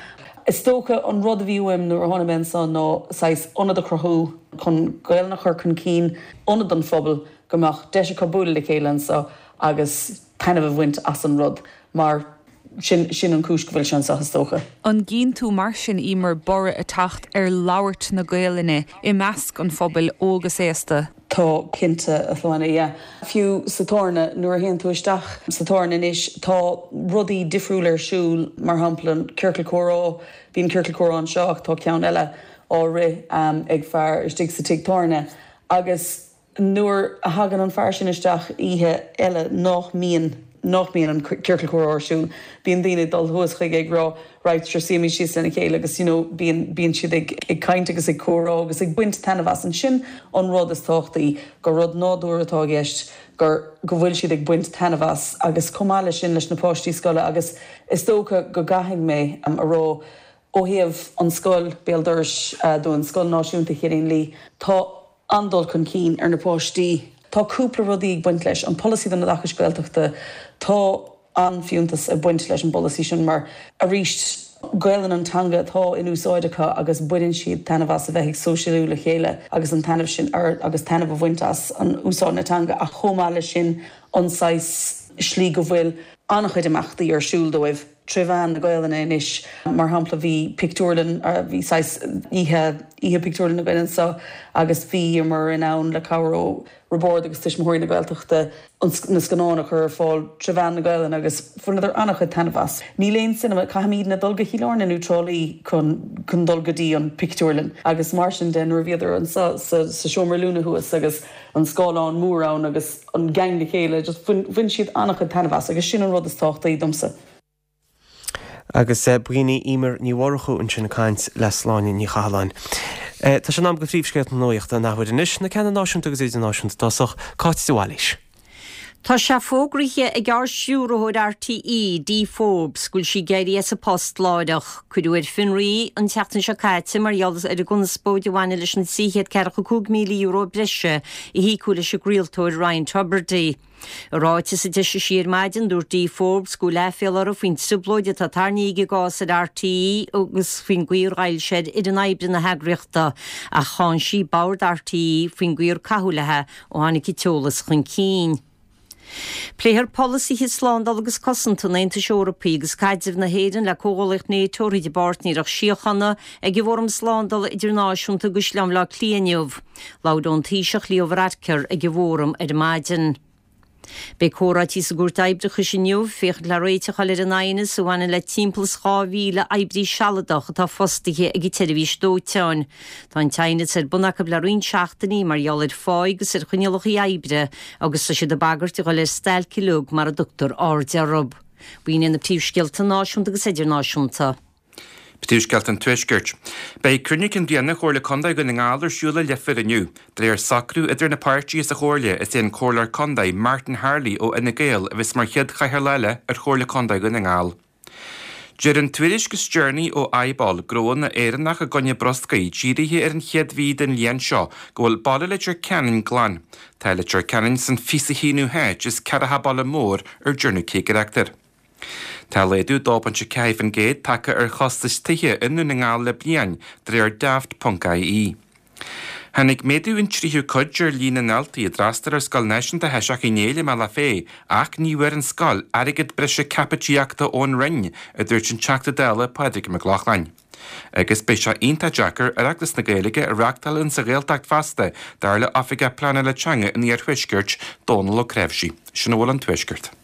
Is dócha an rud a bhí uaim nuair a tháinig mé anseo ná saghas ionad a chruthú chun Gaelainn a chur chun cinn, ionad don phobal, go mbeadh deis acu bualadh le chéile anseo agus taitneamh a bhaint as an rud mar sin sin an cúis go bhfuil sé anseo is dócha. An gcíonn tú mar sin Emer borradh ag teacht ar labhairt na Gaelainne i measc an phobail óg is aosta? Tá cinnte a Shláine, yeah. Fiú sa tábhairne nuair a théann tú isteach sa tábhairne anois tá rudaí difriúil ar siúl mar shampla an ciorcal comhrá, bíonn ciorcal comhrá anseo ach tá ceann eile á rith um, ag fear istigh sa tigh tábhairne agus nuair a thagann an fear sin isteach oíche eile nach mbíonn nach mbíonn an ciorcal comhrá ar siúl, bíonn daoine dul thuas chuige ag rá right sure suímid síos lena chéile agus you know, bíonn bíonn siad ag, ag caint agus ag comhrá agus ag baint taitneamh as an sin an rud is tábhachtaí gur rud nádúrtha atá i gceist gur go bhfuil siad ag baint taitneamh as agus chomh maith leis sin leis na páistí scoile agus is dócha go gcaithfidh mé um, a rá ó thaobh an scoil béal dorais uh, don Scoil Náisiúnta Chiaráin Lee tá an-dul chun cinn ar na páistí. Tá cúpla rudaí ag baint leis an polasaí don oideachas Gaeltachta tá an-fhiúntas ag baint leis an bpolasaí sin mar arís Gaelainn an teanga atá in úsáid acu agus baineann siad taitneamh as a bheith ag sóisialú le chéile agus an taitneamh sin ar agus taitneamh a bhaint as an úsáid na teanga ach chomh maith leis sin an saghas slí go bhfuil an-chuid imeachtaí ar siúl dóibh trí mheán na Gaelainne anois mar shampla bhí pictiúrlann bhí saghas oíche oíche pictiúrlann na Gaelainne anseo agus bhí mar in ann le cabhair ó Bhord agus Tuismitheoirí na Gaeltachta na scannáin a chur ar fáil trí mheán na Gaelainne agus bhaineadar an-chuid taitneamh as. Níl aon cinema caithfimidne dul go Cill Airne nó Trá Lí chun chun dul go dtí an pictiúrlann agus mar sin de nuair a bhíodar anseo sa, sa seomra Lúna thuas agus an scáileán mór ann agus an gang le chéile just bhain siad an-chuid taitneamh as agus sin an rud is tábhachtaí domsa. Agus b'in í Emer Ní Mhurchú ansin ag caint le Sláine Ní Chathalláin. Tá sé in am do phríomhscéalta na nuachta an athuair anois na ceanna náisiúnta agus idirnáisiúnta i dtosach Cáit de Bhailís. Tá sé fógraithe ag Ard-Stiúrthóir RTÉ, Dee Forbes, go bhfuil sí ag éirí as a post láithreach. Cuireadh ar fionraí an tseachtain seo caite mar gheall ar an gconspóid a bhaineann leis an trí chéad ceathracha cúig míle euro breise a híocadh leis an gcraoltóir Ryan Tubridy. I ráiteas a d'eisigh sí ar maidin dúirt Dee Forbes go bhfuil aiféala uirthi faoin trioblóid atá tarraingthe ag an gcás ar RTÉ agus faoin gcaoi ar ghoill sé ar fhoireann oibre na heagraíochta ach cháin sí bord RTÉ faoin gcaoi ar caitheadh léi ó tháinig an t-eolas chun cinn. Pléifear polasaithe slándála agus cosanta an Aontais Eorpaigh agus caidreamh na hÉireann le comhghuaillíocht NATO thríd an bpáirtnéireacht síochána ag an bhFóram Slándála Idirnáisiúnta i gCaisleán Bhaile Átha Cliath inniu. Labhair an Taoiseach Leo Varadkar ag an bhfóram ar maidin. Beidh comhráití sa gCúirt Oibreachais inniu féachaint le réiteach a fháil ar an aighneas a bhaineann le timpeall is dhá mhíle oibrí sealadach atá fostaithe ag an tseirbhís dóiteáin. Tá an t-aighneas ar bun acu le roinnt seachtainí mar gheall ar phá agus ar choinníollacha oibre agus tá siad ag bagairt a dhul ar stailc uilig mura dtugtar aird orthu. B'in iad na príomhscéalta náisiúnta agus idirnáisiúnta. Príomhscéalta an Tuaiscirt. Beidh cruinniú cinn bliana Chomhairle Contae Dhún na nGall ar siúl i Leifear inniu. De réir socrú idir na páirtithe sa Chomhairle is é an Comhairleoir Contae Martin Harley ó Fhine Gael a bheas mar chéad chathaoirleach eile ar Chomhairle Contae Dhún na nGall. Deir an tuairisc is deireanaí ó IBOL gnóanna Éireannach i gcoinne bruscair dírithe ar an chéad mhí den bhliain seo go bhfuil baile Leitir Ceanainn glan. Tá Leitir Ceanainn san fiche a haonú háit as ceathracha baile mór ar dearnadh cigireacht air. Tá laghdú dó pointe ceathair faoin gcéad tagtha ar chostais tithe i nDún na nGall le bliain de réir Daft.ie. Tháinig méadú an tríú cuid ar líon na ndaltaí a d'fhreastail ar Scoil Náisiúnta Shóisearach Uí Néill i mBealach Féich ach ní bhfuair an scoil airgead breise caipitíochta ón Roinn, a dúirt an Teachta Dála Pádraig Mac Lochlainn. Agus beidh sé iontach deacair Oireachtas na Gaeilge a reáchtáil insa Ghaeltacht feasta dar le Oifigeach Pleanála Teanga an Iarthuaiscirt Dónal Ó Creimhsí. Sin a bhfuil ón Tuaisceart.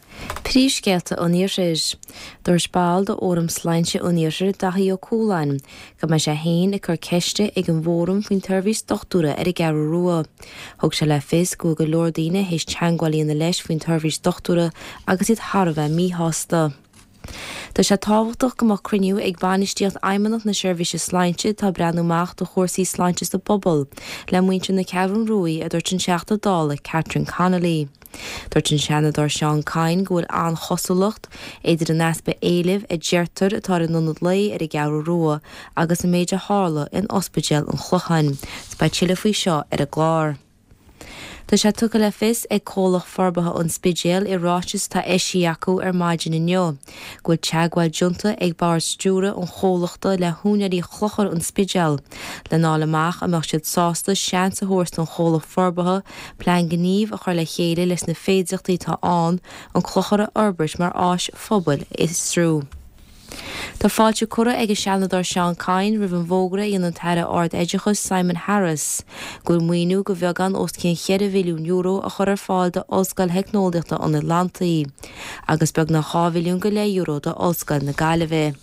Príomhscéalta an Iarthair. Dúirt ball de Fhóram Sláinte an Iarthair Daithí Ó Cualáin, go mbeidh sé féin ag cur ceiste ag an bhfóram faoin tseirbhís dochtúra ar an gCeathrú Rua. Thug sé le fios go bhfuil go leor daoine théis teagmháil a dhéanamh leis faoin tseirbhís dochtúra agus iad thar a bheith míshásta. Tá sé tábhachtach go mbeadh cruinniú ag bainistíocht Fheidhmeannacht na Seirbhíse Sláinte atá ag breathnú amach do chúrsaí sláinte sa bpobal le muintir na Ceathrún Rua a dúirt an Teachta Dála Catherine Connolly. Dúirt an Seanadóir Seán Kyne go bhfuil an-chosúlacht idir an easpa éilimh a deirtear atá ar an ionad lae ar an gCeathrú Rua agus an méid a tharla in Ospidéal an Chlocháin. Beidh tuilleadh faoi seo ar an gclár. Tá sé tugtha le fios ag Comhlacht Forbartha an Spidéil i ráiteas atá eisithe acu ar maidin inniu, go bhfuil teagmháil déanta ag bord stiúrtha an chomhlachta le húinéirí Chlochar an Spidéil lena fháil amach an mbeadh siad sásta seans a thabhairt don chomhlacht forbartha plean gnímh a chur le chéile leis na féidearthachtaí atá ann an clochar a fhorbairt mar áis phobail a fhiosrú. Tá fáilte curtha ag an Seanadóir Seán Kyne roimh an bhfógra a dhein an tAire Ard-Oideachais Simon Harris go bhfuil maoiniú de bheagán os cionn cheithre mhilliún euro a chur ar fáil d'Ollscoil Theicneolaíochta an Atlantaigh agus beagnach dhá mhilliún go leith euro d'Ollscoil na Gaillimhe.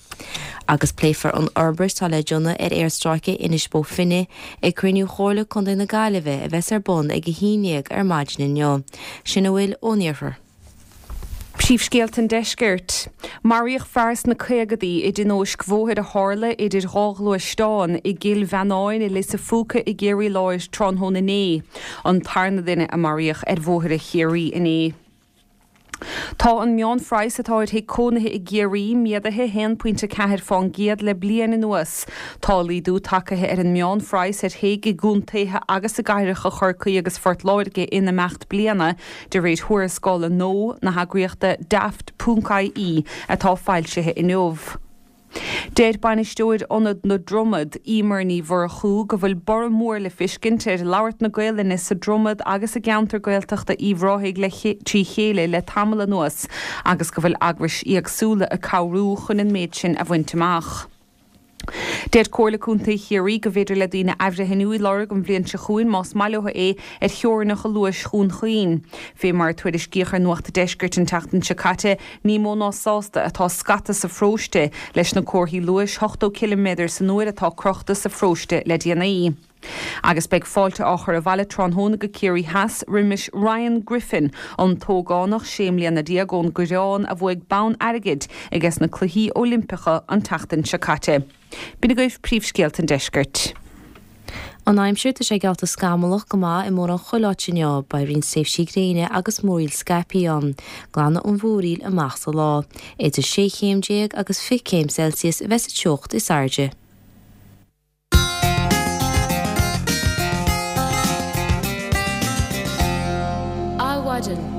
Agus pléifear an fhorbairt atá le déanamh ar aerstráice Inis Bó Finne ag cruinniú Chomhairle Contae na Gaillimhe a bheas ar bun ag a haon déag ar maidin inniu. Sin a bhfuil ón iarthar. Príomhscéalta an Deiscirt. Maraíodh fear sna caogadaí i dtionóisc bhóthair a tharla idir dhá ghluaisteán i gCill Mheannáin i Lios a' Phúca i gCiarraí Láir tráthnóna inné, an tarna duine a maraíodh ar bhóithre Chiarraí inné. Tá an meánphraghas atá ar thigh cónaithe i gCiarraí méadaithe haon pointe ceathair fán gcéad le bliain anuas. Tá laghdú tagtha ar an meánphraghas ar thigh i gcontaetha agus i gcathracha Chorcaí agus Phort Láirge in imeacht bliana, de réir thuarascála nua na heagraíochta Daft ponc ie atá foilsithe inniu. Deir bainisteoir Ionad na Dromad, Emer Ní Mhurchú, go bhfuil borradh mór le fiscint ar labhairt na Gaelainne sa Dromad agus i gceantar Gaeltachta Uíbh Ráthaigh le trí chéile le tamall anuas agus go bhfuil eagrais éagsúla ag cabhrú chun an méid sin a bhaint amach. Deir Comhairle Contae Chiarraí go bhféidir le daoine athbhreithniú a lorg an bhliain seo chugainn más maith leo é ar theorainneacha luais Dhún Chaoin. Fé mar a tuairiscíodh ar Nuacht an Deiscirt an tseachtain seo caite, ní mó ná sásta atá scata sa pharóiste leis na comharthaí luais ochtó ciliméadar san uair atá crochta sa pharóiste le déanaí. Agus beidh fáilte á chur abhaile tráthnóna go Ciarraí Theas roimis Ryan Griffin, an t-ógánach sé mbliana déag ón gCoireán a bhuaigh bonn airgid ages na Cluichí Oilimpeacha an tseachtain seo caite. B'in agaibh príomhscéalta an deiscirt. An aimsir tá sé geallta scamallach go maith i mórán chuile áit inniu, beidh roinnt tréimhsí gréine agus múraíl scaipthe ann. Glanfaidh an mhúraíl amach sa lá. Idir sé chéim déag agus fiche céim Celsius a bheas an teocht is airde. Adhmhaidin.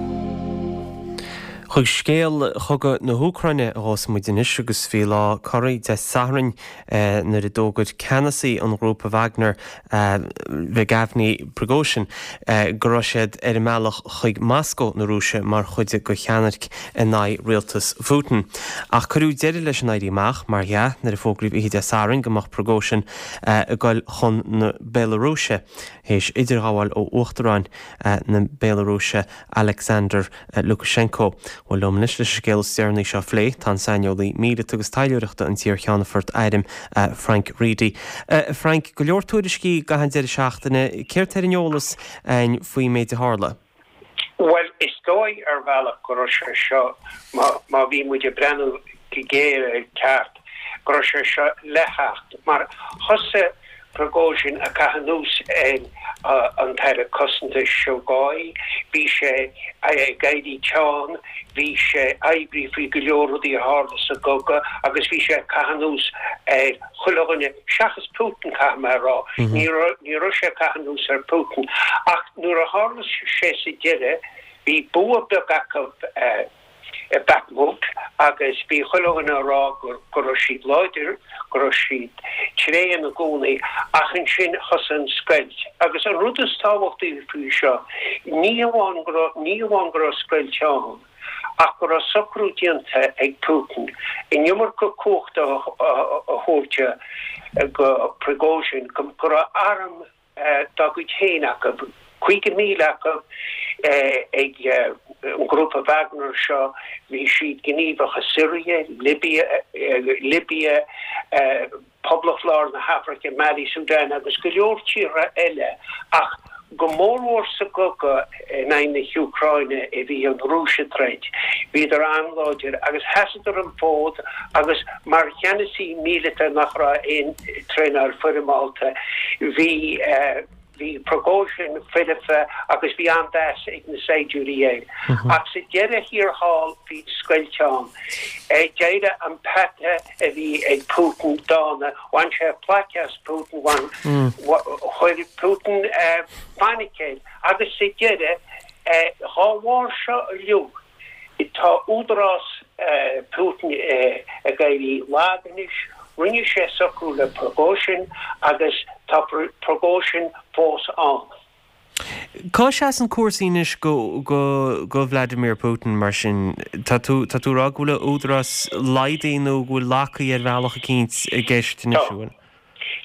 Chuig scéal chogadh na hÚcráine a ghabhfas muid anois agus bhí lá corraí Dé Sathairn nuair a d'fhógair ceannasaí an ghrúpa Wagner, Yevgeny Prigozhin, go raibh siad ar a mbealach chuig Moscó na Rúise mar chuid de cheannairc in aghaidh rialtas Phutin. Ach cuireadh deireadh leis an éirí amach, mar dhea, nuair a fógraíodh oíche Dé Sathairn go mbeadh Prigozhin ag dul chun na Béalarúise théis idirghabháil ó Uachtarán na Béalarúise Alexander Lukashenko. Bhuel, liom anois leis an scéal is deireanaí seo a phlé, tá an saineolaí míleata agus taidhleoireachta an t-iar-cheannfort airm Frank Reidy. Frank, go leor tuairiscí i gcaitheamh an deireadh seachtaine, céard tá ar an eolas againn faoin méid a tharla? Bhuel, is dóigh ar bhealach go raibh sé seo, má bhí muid ag breathnú go géar air ceart, go raibh sé seo le theacht, mar thosaigh Prigozhin ag caitheamh anuas ar an tAire Cosanta Shoigu, bhí sé ag éirí teann, bhí sé oibrí faoi go leor rudaí a tharla sa gcogadh agus bhí sé ag caitheamh anuas ar chuile dhuine seachas Putin, caithfidh mé a rá. Ní raibh, ní raibh sé ag caitheamh anuas ar Putin. Ach nuair a tharla sé sa deireadh, bhí bua beag acu i Bakhmut agus bhí chuile dhuine a rá go raibh siad láidir, go raibh siad tréan i gcónaí ach ansin thosaigh an scoilt. Agus an rud is tábhachtaí faoi seo, ní hamháin go raibh, ní hamháin go raibh scoilt ann ach go raibh socrú déanta ag Putin an iomarca cumhachta a thabhairt go Prigozhin, go raibh arm dá gcuid féin acu, caoga míle acu ag an ngrúpa Wagner seo, bhí siad gníomhach i Siria, Libia, Libia, Poblacht Lár na hAfraice, Mali, Sudan agus go leor tíortha eile ach go mórmhór sa gcogadh in aghaidh na hÚcráine a bhí an Rúis ag troid, bhíodar an-láidir agus sheasadar an fód agus mar cheannasaí míleata nach raibh aon traenáil foirmeálta, bhí. Bhí Prigozhin foirfe agus bhí an-mheas ag na saighdiúirí air. Ach sa deireadh thiar thall bhí scoilt ann. D'éirigh an peata a bhí ag Putin dána, bhain sé plaic as Putin, bhain, chuir Putin fainic air agus sa deireadh, dhá bharr seo uilig, tá údarás Putin ag éirí lag anois, rinne sé socrú le Prigozhin agus tá Prigozhin fós ann. Cá seasann cúrsaí anois go go go Vladimir Putin mar sin? Tá tú tá tú ag rá go bhfuil a údarás laghdaithe nó go bhfuil laghdaithe ar bhealach eicínt i gceist anois, an bhfuil?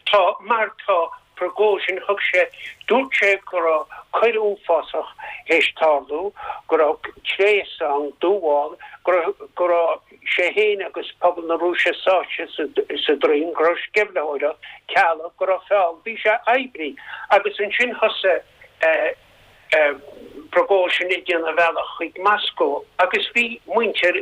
Tá, mar tá Prigozhin, thug sé, dúirt sé go raibh coir uafásach théis tarlú, go raibh tréas ann, dúmhál, go raibh, go raibh sé féin agus pobal na Rúise sáite sa, sa dtraen, go raibh sceimhlitheoireacht, cealg, go raibh feall, bhí sé oibrithe. Agus ansin thosaigh eh, Prigozhin ag déanamh a bhealach chuig Moscó agus bhí muintir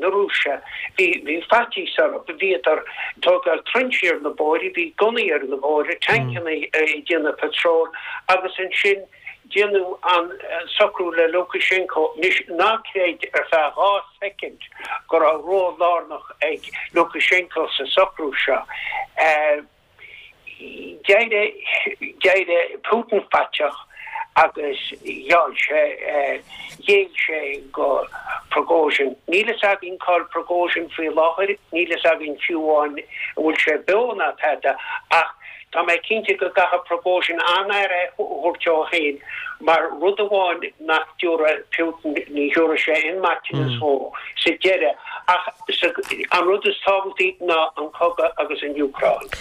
na Rúise, bhí bhí faitíos orthu, bhíodar ag tógáil trinsí ar na bóithre, bhí gunnaí ar na bóithre, tancanna ag déanamh patról agus ansin déanadh an socrú le Lukashenko. Anois ná creid ar feadh dhá soicind go raibh ról lárnach ag Lukashenko sa socrú seo. D'éirigh d'éirigh Putin faiteach agus gheall sé, ghéill sé go Prigozhin. Níl fhios againn cá bhfuil Prigozhin faoi láthair, níl fhios againn fiú amháin an bhfuil sé beo ná tada, ach tá mé cinnte go gcaithfidh Prigozhin an-aire a thabhairt dó féin mar rud amháin nach dtabharfaidh Putin, ní thabharfaidh sé aon maiteanas dhó sa deireadh. Ach an rud is tábhachtaí ná an cogadh agus an Úcráin.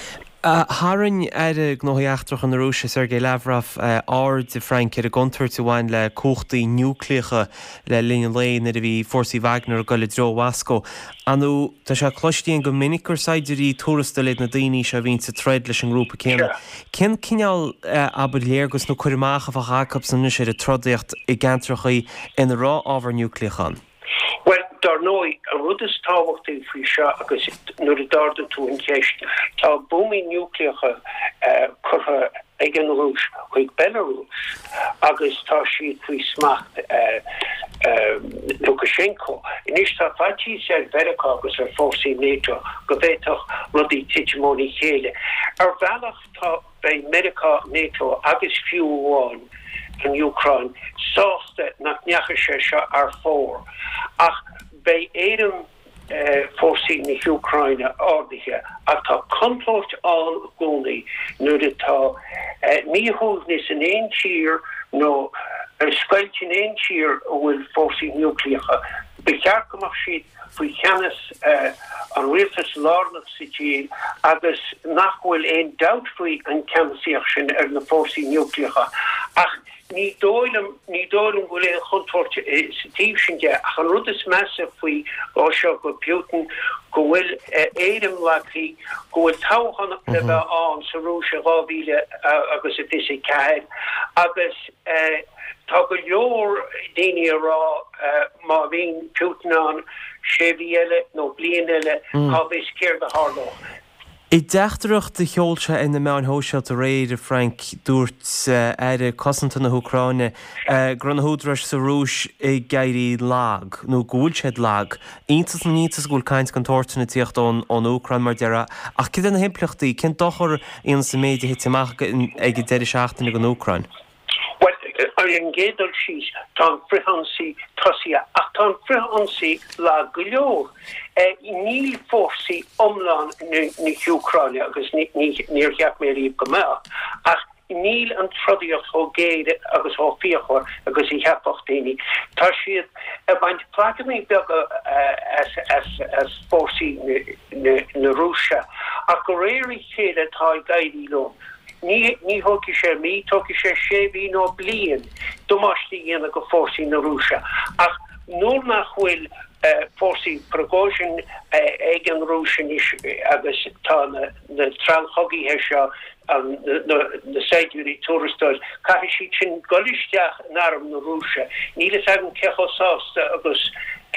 Tharraing Aire Gnóthaí Eachtracha na Rúise, Sergei Lavrov, aird, a Frank, ar an gcontúirt a bhain le cumhachtaí núicléacha le linn an lae nuair a bhí fórsaí Wagner ag dul i dtreo Mhoscó. Ar ndóigh, tá sé cloiste againn go minic gur saighdiúirí tuarastail iad na daoine seo a bhíonns ag troid leis an ngrúpa céanna. Cén cineál, abair, léargas nó cur amach a bheadh acusan anois ar an trodaíocht i gceantracha ina raibh ábhar núicléach ann? Bhuel, dar ndóigh, an rud is tábhachtaí faoi seo agus nuair a d'ardaigh tú an cheist, tá buamaí núicléacha curtha ag an Rúis chuig Belarus agus tá siad faoi smacht Lukashenko. Anois tá faitíos ar Mheiriceá agus ar fórsaí NATO go bhféadfadh rudaí titim óna chéile. Ar bhealach tá. Beidh Meiriceá, NATO agus fiú amháin an Úcráin sásta nach ndeachaigh sé seo thar fóir, ach beidh éirim fórsaí na hÚcráine ardaithe. Ach tá contúirt ann i gcónaí nuair atá míshuaimhneas in aon tír nó scoilt in aon tír a bhfuil fórsaí núicléacha. Ba cheart go mbeadh siad faoi cheannas an rialtais lárnach sa tír agus nach bhfuil aon dabht faoi an ceannasaíocht sin ar na fórsaí núicléacha. Ach ní dóigh liom, ní dóigh liom go bhfuil aon chontúirt sa taobh sin de. Ach an rud is measa faoi seo go Putin, go bhfuil a éirim lagaithe, go bhfuil toghchán le bheith ann sa Rúis i dhá mhíle agus a fiche a ceathair agus Tá go leor daoine ag rá má bhíonn Putin ann sé mhí eile nó bliain eile, cá bhfios céard a tharlódh. I dteachtaireacht a sheol sé ar na meáin shóisialta aréir, a Frank, dúirt Aire Cosanta na hÚcráine go raibh na húdaráis sa Rúis ag éirí lag, nó go bhfuil siad lag. Iontas na n-iontas go bhfuil caint den tsórt sin ag tíocht ón Úcráin, mar a déarfá. Ach cad é na himpleachtaí? Cén dochar a dhéanfas an méid a thit amach ag an deireadh seachtaine don Úcráin? Bhuel, ar an gcéad dul síos, tá an frithionsaí tosaithe, ach tá an frithionsaí lag go leor. Níl fórsaí iomlán na hÚcráine, agus níor cheap mé riamh go mbeadh, ach níl an trodaíocht chomh géar agus chomh fíochmhar agus a cheapfadh daoine. Tá siad ag baint plaiceanna beaga as fórsaí na Rúise, ach de réir a chéile tá ag éirí leo. Ní ní thógfaidh sé mí, tógfaidh sé sé mhí nó bliain damáiste a dhéanamh go fórsaí na Rúise. Ach nuair nach bhfuil fórsaí Prigozhin ag an Rúis anois agus tá na na treallchogaithe seo, na na saighdiúirí tuarastail, caithfidh siad sin dul isteach in arm na Rúise. Níl fhios agam cé chomh sásta agus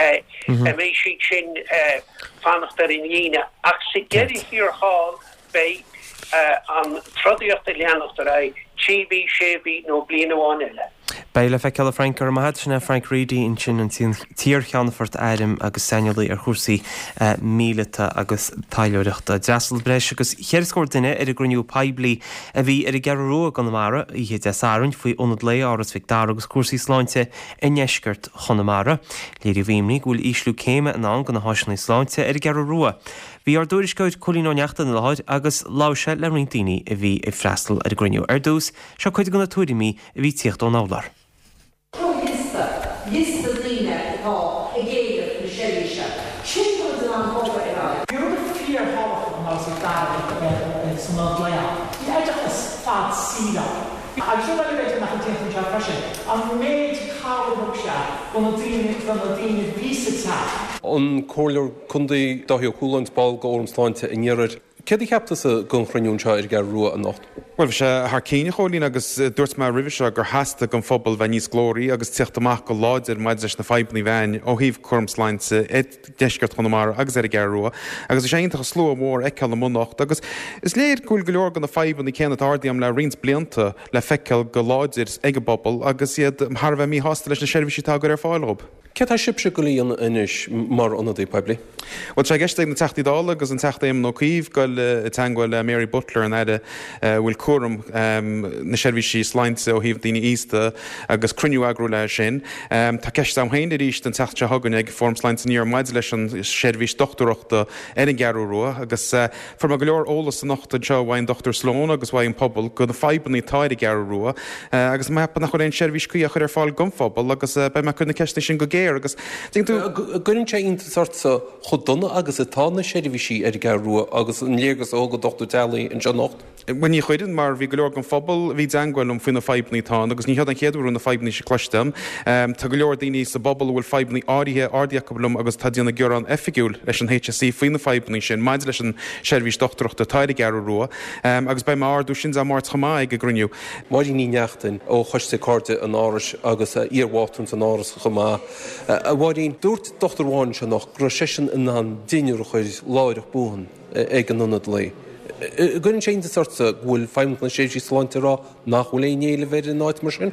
a mbeidh siad sin fanacht ar an líne. Ach sa deireadh thiar thall, Beidh an trodaíocht ag leanacht ar aghaidh, trí mhí, sé mhí nó bliain amháin eile. Beidh le feiceáil a Frank, go raibh maith agat. Sin é Frank Reidy ansin, an t-iar-cheannfort airm agus saineolaí ar chúrsaí míleata agus taidhleoireachta. D'fhreastail breis agus cheithre scór duine ar an gcruinniú poiblí a bhí ar an gCeathrú Rua i gConamara oíche Dé Sathairn faoi Ionad Lae Áras Mhic Dara agus cúrsaí sláinte i ndeisceart Chonamara. Léiríodh imní go bhfuil ísliú céime i ndán do na háiseanna sláinte ar an gCeathrú Rua. Bhí ár dtuairisceoir Cóilín Ó Neachtain i láthair agus labhair sé le roinnt daoine a bhí ag freastal ar an gcruinniú. Ar dtús, seo cuid de na tuairimí a bhí ag tíocht ón urlár. Seo liosta, liosta daoine atá ag éileamh na seirbhíse. Sin rud in ann bogadh ar aghaidh. Bhí rud fíorthábhachtach in Áras Mhic Dara san ionad lae ann. Bhí oideachas fad saoil ann. Agus rud eile b'fhéidir nach bhfuil déanta anseo freisin, an méid cabhair a thug sé do na daoine, do na daoine a bhí sa teach. An Comhairleoir Contae Dáithí Ó Cualáin, ball de Fhóram Sláinte an Iarthair. Céard a cheap tusa den chruinniú anseo ar an gCeathrú Rua anocht? Bhuel, bhí sé thar cinn, a Chóilín, agus dúirt mé roimhe seo gur theastaigh don phobal bheith níos glóraí agus tíocht amach go láidir maidir leis na fadhbanna a bhí ann ó thaobh cúram sláinte i deisceart Chonamara agus ar an gCeathrú Rua. Agus bhí sé iontach an slua mór a fheiceáil amuigh anocht agus is léir go bhfuil go leor de na fadhbanna céanna atá ardaithe agam le roinnt blianta le feiceáil go láidir ag an bpobal agus iad thar a bheith míshásta leis na seirbhísí atá á gcur ar fáil dhóibh. Céard tá sibhse ag goil a dhéanamh anois mar ionadaí poiblí? Bhuel, tá sé i gceist ag na Teachtaí Dála agus an Teachta Éamon Ó Cuív goil i dteangmháil le Mary Butler, an Aire a bhfuil cúram na seirbhísí sláinte ó thaobh daoine aosta, agus cruinniú a eagrú léi sin. Tá ceist agam féin arís an tseachtain seo chugainn ag Fóram Sláinte an Iarthair maidir leis an seirbhís dochtúireachta ar an gCeathrú Rua agus fuair mé go leor eolas anocht anseo uaidh an Dochtúir Sloane agus uaidh an pobal go na fadhbanna atá ar an gCeathrú Rua agus mé ag ceapadh nach bhfuil aon seirbhís cuí á chur ar fáil don phobal agus beidh mé ag cur na ceisteanna sin go géar agus tuigeann tú. An gcuireann sé iontas ortsa chomh dona agus atá na seirbhísí ar an gCeathrú Rua agus an léargas a thug an dochtúir teaghlaigh anseo anocht? Bhuel ní chuireann mar bhí go leor den phobal a bhí i dteangmháil liom faoi na fadhbanna atá ann agus ní hiod an chéad uair a bhfuil na fadhbanna seo cloiste agam. Tá go leor daoine sa bpobal a bhfuil fadhbanna áirithe ardaithe acu liom agus atá ag déanamh gearán oifigiúil leis an HSE faoi na fadhbanna sin maidir leis an seirbhís dochtúireachta atá ar an gCeathrú Rua agus beidh mé á ardú sin Dé Máirt chomh maith ag an gcruinniú. Máirín Ní Neachtain ó Choiste Cairde an Árais agus iar-mhátrún san Áras chomh maith. A Mháirín, dúirt dochtúir amháin anseo anocht go raibh seisean in ann deichniúr a chur láithreach buan ag an ionad lae. An gcuireann sé iontas ortsa go bhfuil Feidhmeannacht na Seirbhísí Sláinte ag rá nach bhfuil aon éileamh ar an áit mar sin?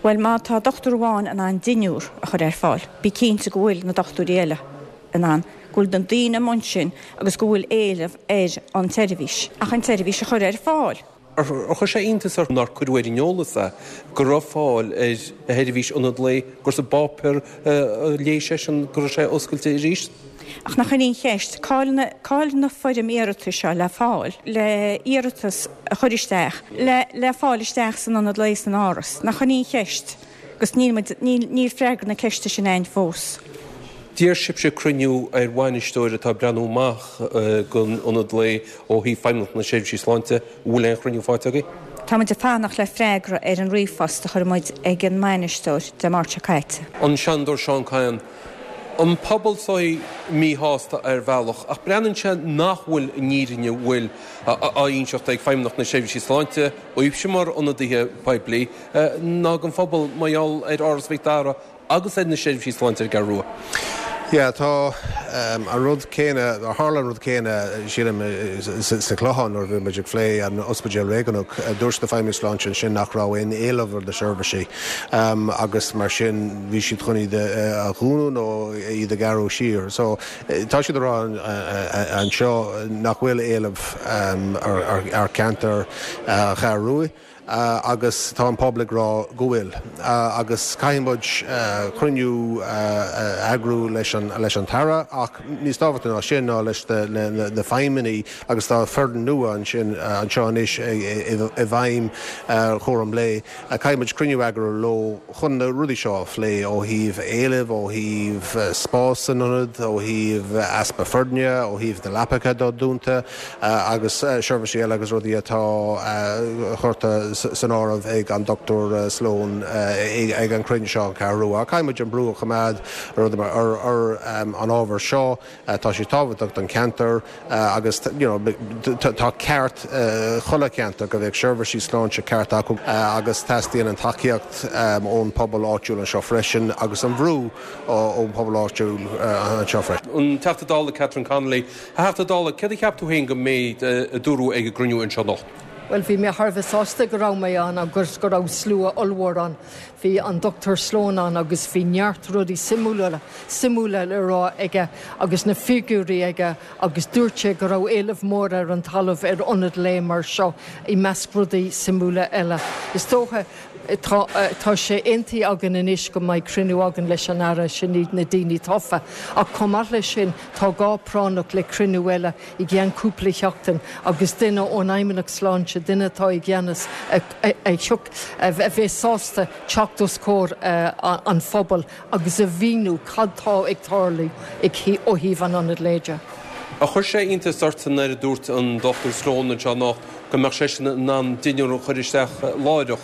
Bhuel, má tá dochtúir amháin in ann deichniúr a chur ar fáil, bí cinnte go bhfuil na dochtúirí eile in ann, go bhfuil na daoine amuigh ansin agus go bhfuil éileamh ar an tseirbhís, ach an tseirbhís a chur ar fáil. Ar chuir sé iontas ort nár cuireadh ar an eolas é go raibh fáil ar sheirbhís ionad lae, gur sa bpáipéar a léigh seisean go raibh sé oscailte arís? Ach nach in í an cheist, cá'il na, cá'il na foirm iarratais seo le fáil, le iarratas a chur isteach, le, le fáil isteach san ionad lae san Áras? Nach in í an cheist? Agus níl muid, níl, níl freagra na ceiste sin a'inn fós. D'iarr sibhse cruinniú ar bhainisteoir atá ag breathnú amach don ionad lae ó thaobh Feidhmeannacht na Seirbhísí Sláinte. An bhfuil aon chruinniú faighte agaibh? Tá muid ag fanacht le freagra ar an ríomhphost a chuir muid ag an mbainisteoir Dé Máirt seo caite. An Seanadóir Seán Kyne, An pobal seo míshásta ar bhealach ach breathnaíonn sé nach bhfuil an fhírinne bhfuil á inseacht ag Feidhmeannacht na Seirbhísí Sláinte, daoibhse mar ionadaithe poiblí, ná don phobal mar gheall ar Áras Mhic Dara agus ar na seirbhísí sláinte ar an gCeathrú Rua. Yeah, tá an rud céanna, tharla an rud céanna, sílim, sa Chlochán nuair a bhí muid ag plé an ospidéal réigiúnach. Dúirt na feidhmeannaigh sláinte ansin nach raibh aon éileamh ar na seirbhísí agus mar sin bhí siad chun iad a dhúnadh nó iad a ghearradh siar. So tá siad ag rá anseo nach bhfuil éileamh ar cheantar Cheathrú Rua. agus tá an pobal ag rá go bhfuil. Agus caithfidh muid cruinniú a eagrú leis an leis an tAire ach níos tábhachtaí ná sin ná leis na feidhmeannaigh agus tá foireann nua ansin anseo anois i bhfeidhm chúram lae. Caithfidh muid cruinniú a eagrú leo chun na rudaí seo a phlé ó thaobh éilimh, ó thaobh spás san ionad, ó thaobh easpa foirne, ó thaobh na leapacha atá dúnta agus seirbhísí eile agus rudaí atá curtha san áireamh ag an Dochtúir Sloane ag an chruinniú seo an Cheathrú Rua. Caithfidh muid an brú a choimeád ar an ábhar seo. Tá sé tábhachtach don cheantar agus you know tá ceart chuile cheantar go bheadh seirbhísí sláinte ceart acu agus teastaíonn an tacaíocht ón pobal áitiúil anseo freisin agus an bhrú ón pobal áitiúil anseo freisin. An Teachta Dála Catherine Connolly, A Theachta Dála, céard a cheap tú féin go mbeidh a dúradh ag an gcruinniú anseo anocht? Bhuel, bhí mé thar a bheith sásta go raibh mé ann agus go raibh slua ollmhór ann. Bhí an Dochtúir Sloane ann agus bhí neart rudaí suimiúla suimiúla le rá aige agus na figiúirí aige agus dúirt sé go raibh éileamh mór ar an talamh ar ionad lae mar seo i measc rudaí suimiúla eile. Is dócha tá tá sé aontaithe againn anois go mbeidh cruinniú againn leis an Aire, sin iad na daoine tofa. Ach chomh maith leis sin tá gá práinneach le cruinniú eile i gceann cúpla seachtain agus duine ón Fheidhmeannacht Sláinte, duine atá i gceannas a a bheith sásta teacht os comhair an phobail agus a mhíniú cad tá ag tarlú ó thaobh an ionaid lae de. Ar chuir sé iontas ort nuair a dúirt an Dochtúir Sloane anseo anocht go mbeadh seisean in ann dinnéar a chur isteach láithreach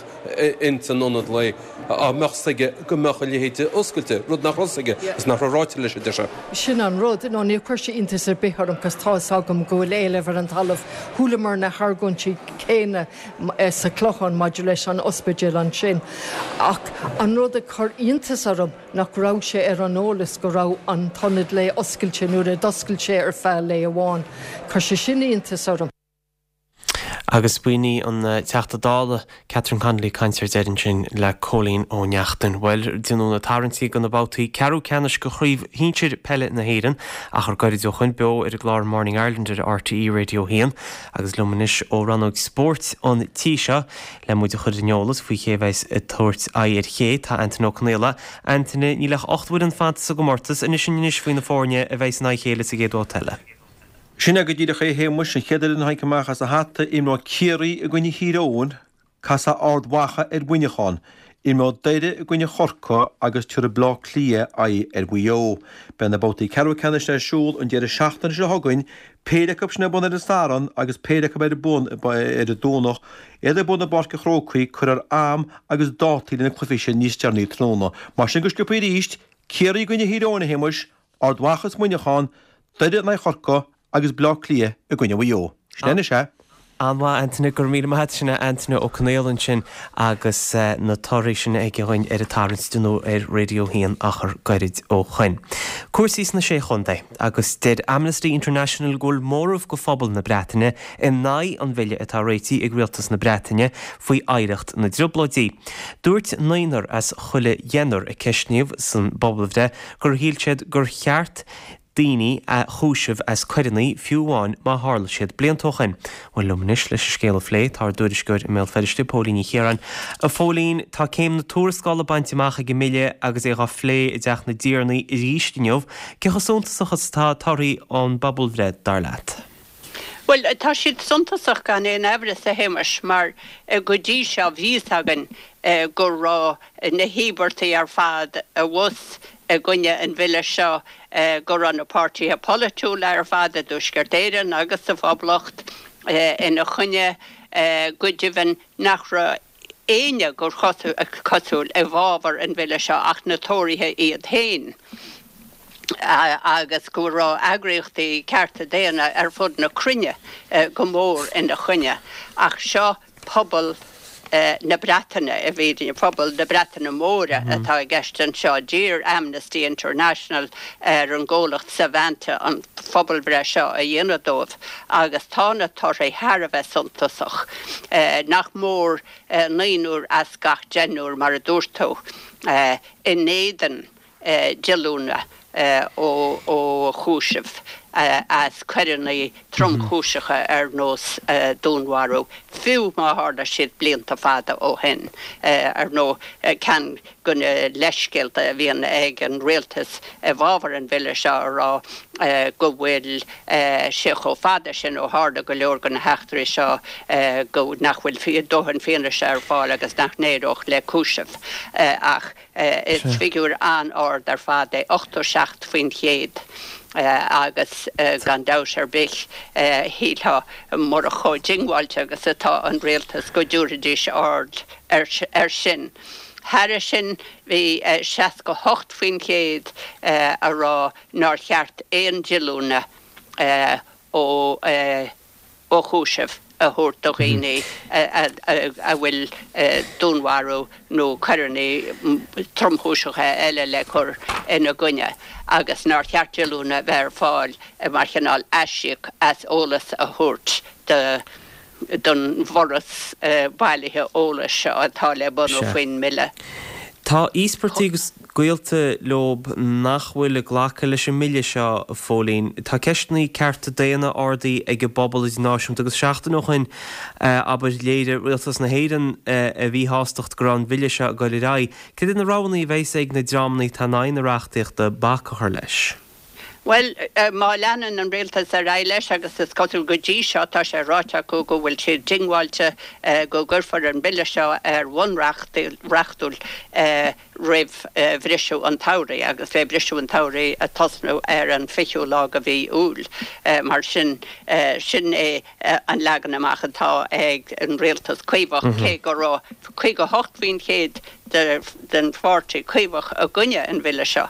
ins an ionad lae, dá mbeadh 's aige go mbeadh a leithéid oscailte, rud nach raibh 's aige agus nach raibh ráite leis, a deir sé. Sin an rud. No, níor chuir sé iontas ar bith orm cos tá 'fhios agam go bhfuil éileamh ar an talamh. Chualamar na hargóintí céanna sa Chlochán maidir leis an ospidéal ansin. Ach an rud a chuir iontas orm nach raibh sé ar an eolas go raibh an t-ionad lae oscailte nuair a d'oscail sé ar feadh lae amháin. Chuir sé sin iontas orm. Agus b'in í an Teachta Dála Catherine Connolly ag caint ar deireadh ansin le Cóilín Ó Neachtain. Bhuel, déanadh na tarraingtí do na babhtaí ceathrú ceannais de Chraobh Shinsir Peile na hÉireann achar gairid ó shoin beo ar an gclár Morning Ireland ar R T E Radio a haon agus liom anois ó rannóg spóirt an tí seo le muid a chur ar an eolas faoi cé a bheas ag tabhairt aghaidh ar ché tá Antaine Ó Conaola. Antaine, níl ach ocht bhfoireann fanta sa gcomórtas, inis anois faoi na foirne a bheas in aghaidh a chéile sa gcéad bhabhta eile. Sin é go díreach é a Shéamuis, an chéad fhoireann a tháinig amach as a hata, imreoidh Ciarraí i gcoinne Thír Eoghain, casfaidh Ard Mhacha ar Mhuineachán, imreoidh Doire i gcoinne Chorcaí agus tabharfaidh Bleá Cliath aghaidh ar Mhaigh Eo. Beidh na babhtaí ceathrú ceannais ar siúl an deireadh seachtaine seo chugainn, péire acu sin ar bun ar an Satharn agus péire acu ar bun ar an Domhnach, iad ar bun i bPáirc an Chrócaigh, cuirfear am agus dátaí le na cluichí sin níos deireanaí tráthnóna. Mar sin go sciobtha arís, Ciarraí i gcoinne Thír Eoghain, a Shéamuis, Ard Mhacha is Muineachán, Doire in aghaidh Chorcaí agus Bleá Cliath i gcoinne Mhaigh Eo. Sin é anois é. An-mhaith, Antaine, go raibh míle maith agat. Sin é Antaine Ó Conaola ansin agus na torthaí sin aige dhúinn ar an tarraingt a deineadh ar Raidió a haon achar gairid ó shoin. Cúrsaí sna Sé Chontae agus deir Amnesty International go bhfuil móramh de phobal na Breataine in aghaidh an bhille atá réitithe ag Rialtas na Breataine faoi oidhreacht na dTrioblóidí. Dúirt naonúr as chuile dheichniúr a ceistníodh san bpobalbhreith gur shíl siad gur cheart daoine a chúiseamh as coireanna, fiú amháin má tharla siad blianta ó shin. Bhuel, liom anois leis an scéal a phlé, tá ár dtuairisceoir i mBéal Feirste, Póilín Ní Chiaráin. A Phóilín, tá céim na tuarascála bainte amach ag an mbille agus é dhá phlé i dTeach na dTiarnaí arís inniu. Cé chomh suntasach is atá torthaí an phobalbhreith, dar leat? Bhuel, tá siad suntasach gan aon amhras, a Shéamais, mar go dtí seo bhí fhios againn go raibh na híobartaigh ar fad abhus i gcoinne an bhille seo, go raibh na páirtithe polaitiúla ar fad i dTuaisceart Éireann agus sa Phoblacht ina choinne, go deimhin nach raibh éinne gur cosúil i bhfabhar an bhille seo ach na Tóraithe iad féin. Agus go raibh eagraíochtaí cearta daonna ar fud na cruinne go mór ina choinne. Ach seo pobal na Breataine, i bhfírinne, pobal na Breataine Móire atá i gceist anseo. D'iarr Amnesty International ar an gcomhlacht Savanta an phobalbhreith seo a dhéanamh dóibh agus tá na torthaí thar a bheith suntasach. Nach mór naonúr as gach deichniúr, mar a dúirt tú, in éadan díolúine ó chúiseamh as coireanna tromchúiseacha ar nós dúnmharú, fiú má tharla siad blianta fada ó shin. Ar ndóigh, ceann de na leithscéalta a bhíonn ag an rialtas i bhfabhar an bhille seo a rá go bhfuil sé chomh fada sin ó tharla go leor de na heachtraí seo go nach bhfuil dóthain fianaise ar fáil agus nach n-éireodh le cúiseamh. Ach Is figiúr an-ard ar fad é ochtó seacht faoin chéad agus gan dabht ar bith shílfeá murach chomh diongbháilte agus atá an rialtas go dtabharfaidís aird air sin. Thairis sin bhí seasca hocht faoin chéad a rá nár cheart aon díolúine ó ó chúiseamh a thabhairt do dhaoine a bhfuil dúnmharú nó coireanna tromchúiseacha eile le cur ina gcoinne agus nár cheart díolúine a bheith ar fáil mar chineál aisíoc as eolas a thabhairt do don bhforas bailithe eolais seo atá le bunú faoin mbille. Tá íospartaigh agus gaolta leob nach bhfuil ag glacadh leis an mbille seo, a Phóilín. Tá ceisteanna cearta daonna ardaithe ag an bpobal idirnáisiúnta agus seachtain ó shin, abair, léirigh Rialtas na hÉireann a mhíshástacht go raibh an bhille seo ag dul ar aghaidh. Cad iad na roghanna a bheas ag na dreamanna atá in aghaidh na reachtaíochta bac a chur leis? Bhuel, má leanann an rialtas ar aghaidh leis, agus is cosúil go dtí seo, tá sé ráite acu go bhfuil siad diongbháilte go gcuirfear an bille seo ar bhonn reachtúil roimh bhriseadh an tsamhraidh, agus beidh briseadh an tsamhraidh ag tosnú ar an fichiú lá de mhí Iúil. Mar sin, sin é an leagan amach atá ag an rialtas Caomhach, cé go raibh caoga a hocht faoin chéad den pháirtí Caomhach i gcoinne an bhille seo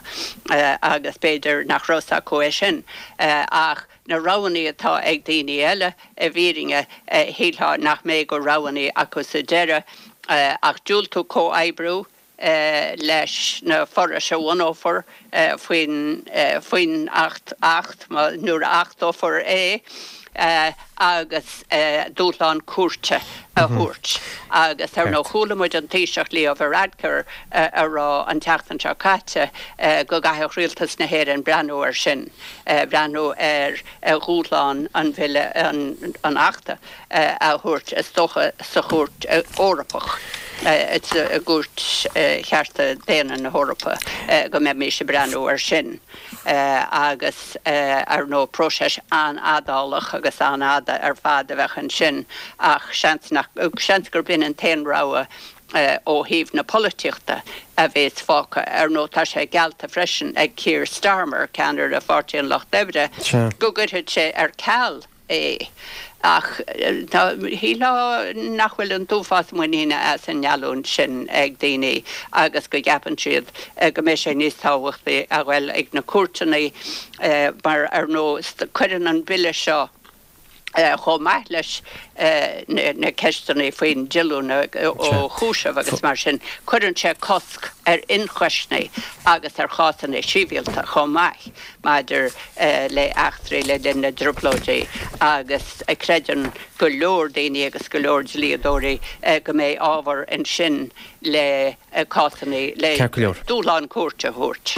agus b'fhéidir nach raibh 's acu é sin ach na roghanna atá ag daoine eile i bhfírinne shílfeá nach mbeidh de roghanna acu sa deireadh ach diúltú comhoibriú leis na forais a bhunófar faoin faoin Acht Acht nuair a achtófar é agus dúshlán cúirte a thabhairt. Agus ar ndóigh chuala muid an Taoiseach Leo Varadkar a rá an tseachtain seo caite go gcaithfeadh Rialtas na hÉireann breathnú air sin, breathnú ar dhúshlán an bhille, an Achta a thabhairt is dócha sa Chúirt Eorpach, i gCúirt Chearta Daonna na hEorpa, go mbeimis ag breathnú air sin. Agus ar ndóigh próiseas an-fhadálach agus an-fhada ar fad a bheadh ansin ach seans nach, seans gurb in an t-aon rogha ó thaobh na polaitíochta a bhéas fágtha. Ar ndóigh tá sé geallta freisin ag Keir Starmer, ceannaire Pháirtí an Lucht Oibre, go gcuirfeadh sé ar ceal é. Ach shílfeá nach bhfuil an t-uafás muiníne as an ngeallúint sin ag daoine agus go gceapann siad go mbeidh sé níos tábhachtaí a ghoil ag na cúirteanna mar ar ndóigh cuireann an bille seo chomh maith leis na ceisteanna faoin díolúine ó chúiseamh agus mar sin, cuireann sé cosc ar ionchoisní agus ar chásanna sibhialta chomh maith maidir le eachtraí le linn na dTrioblóidí agus creideann go leor daoine agus go leor dlíodóirí go mbeidh ábhar ansin le cásanna le dúshlán cúirte a thabhairt.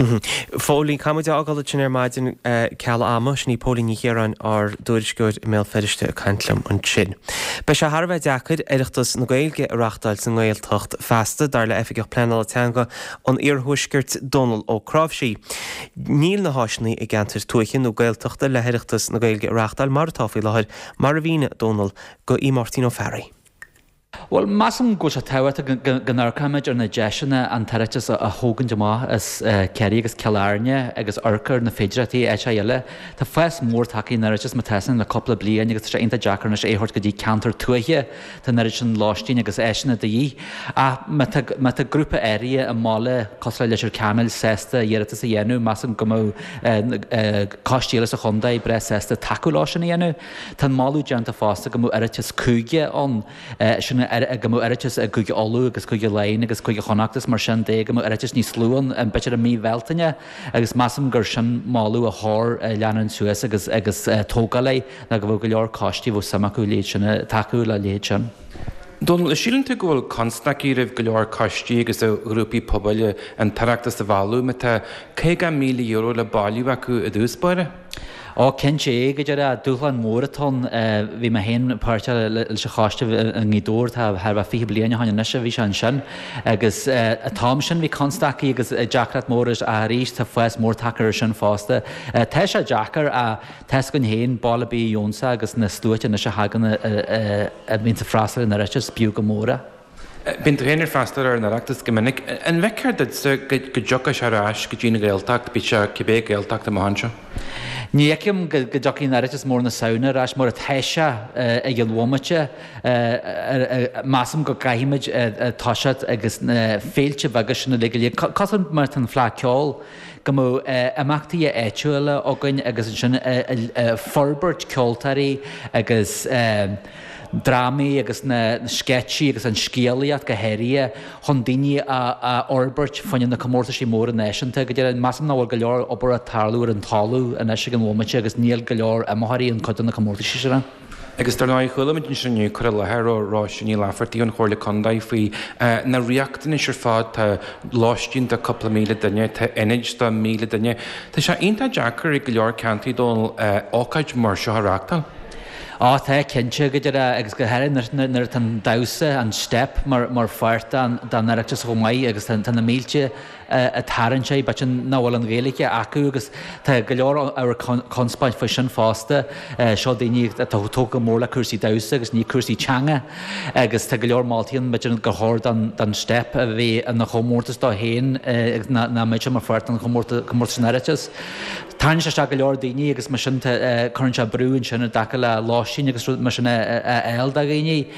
Phóilín, caithfidh muid a fhágáil ansin ar maidin ceal ama. Sin í Póilín Ní Chiaráin, ár dtuairisceoir i mBéal Feirste ag caint liom ansin. Beidh sé thar a bheith deacair Oireachtas na Gaeilge a reáchtáil sa nGaeltacht feasta, dar le Oifigeach Pleanála Teanga an Iarthuaiscirt, Dónal Ó Cnáimhsí. Níl na háiseanna i gceantair tuaithe nó Gaeltachta le hOireachtas na Gaeilge a reáchtáil mar atá faoi láthair, mar a mhínigh Dónal do Aodh Máirtín Ó Fearraigh. Bhuel, measaim go bhfuil sé tábhachtach go n-amharcfaimid ar na deiseanna an tOireachtas a thógaint amach as Ciarraí agus Cill Airne agus amharc ar na féidearthachtaí áiteacha eile. Tá fás mór tagtha ar an Oireachtas mar atá le cúpla bliain agus tá sé iontach deacair anois é a thabhairt go dtí ceantar tuaithe. Tá an oiread sin lóistín agus áiseanna de dhíth. Ach má tá má tá grúpa áirithe i mbaile cosúil le Leitir Ceanainn sásta iarratas a dhéanamh, measaim go mbeadh coistí eile sa chontae breá sásta tacú leo sin a dhéanamh. Tá an moladh déanta fosta go mbeadh Oireachtas cúige ann, sin go mbeadh Oireachtas i gCúige Uladh agus Cúige Laighean agus Cúige Chonnacht is mar sin de, go mbeadh Oireachtas níos lú ann, b'fhéidir i mí Bhealtaine, agus measaim gur sin moladh a chóir leanúint suas agus agus tógáil air ná go bhfuil go leor coistí a bheadh suim acu leithéid sin, tacú le leithéid sin. Dónal, síleann tú go bhfuil constaicí roimh go leor coistí agus ghrúpaí pobail an tOireachtas a mhealladh má tá caoga míle euro le bailiú acu i dtús báire? Ó, cinnte, go deimhin, dúshlán mór atá ann. Bhí mé féin páirteach leis an choiste i nGaoth Dobhair, tá thar a bheith fiche bliain ó shin anois a bhí sé ansin. Agus an t-am sin bhí constaicí agus deacracht mór ach arís tá fás mór tagtha air sin fosta. Tá sé deacair ach tá 's againn féin, baile ar bith a gheobhainnse agus na sluaite anois a thagann a bhíonns ag freastal ar an Oireachtas, b'fhiú go mór é. Bíonn tú féin ag freastal ar an Oireachtas go minic. An bhfeictear duitse go dtiocfaidh sé ar ais go dtí an Ghaeltacht, bíodh sé cibé Gaeltacht amach anseo? Ní fheicim go dtiocfaidh an Oireachtas mór na Samhna ar ais mar atá sé ag an bhomaite. Measaim go gcaithfimid toiseacht agus na féilte beaga sin uilig go léir, cosúil mar atá an Fleadh Ceoil, go mbeadh imeachtaí áitiúla againn agus ansin forbairt ceoltóirí agus drámaí agus na sceitsí agus an scéalaíocht go háirithe chun daoine a fhorbairt fá choinne na comórtaisí móra náisiúnta. Go deimhin, measaim nach bhfuil go leor obair ag tarlú ar an talamh anois ag an bhomaite agus níl go leor iomaitheoirí in cuid de na comórtaisí sin. Agus dar ndóigh, chuala muid ansin inniu cur i láthair ó Róise Ní Laifeartaigh ón Chomhairle Contae faoi na riachtanais ar fad, tá lóistín do cúpla míle duine, tá ionaid do míle duine. Tá sé iontach deacair i go leor ceantair Dónal ócáid mar seo a reáchtáil. Á tá, cinnte, go deimhin, agus go háirithe nuair atá an damhsa, an steip, mar pháirt den Oireachtas chomh maith agus tá na mílte ag tarraingt air, b'fhéidir nach bhfuil an Ghaeilge acu agus tá go leor ábhar conspóid faoi sin fosta. Seo daoine atá tógtha go mór le cúrsaí damhsa agus ní cúrsaí teanga agus tá go leor moltaí ann b'fhéidir gur chóir don steip a bheith ina chomórtas dó féin agus nach mbeadh sé mar pháirt den chomórtas an Oireachtais. Tarraingíonn sé isteach go leor daoine agus mar sin cuireann sé brú ansin i dtaca le lóistín agus rud mar sin a fháil do dhaoine.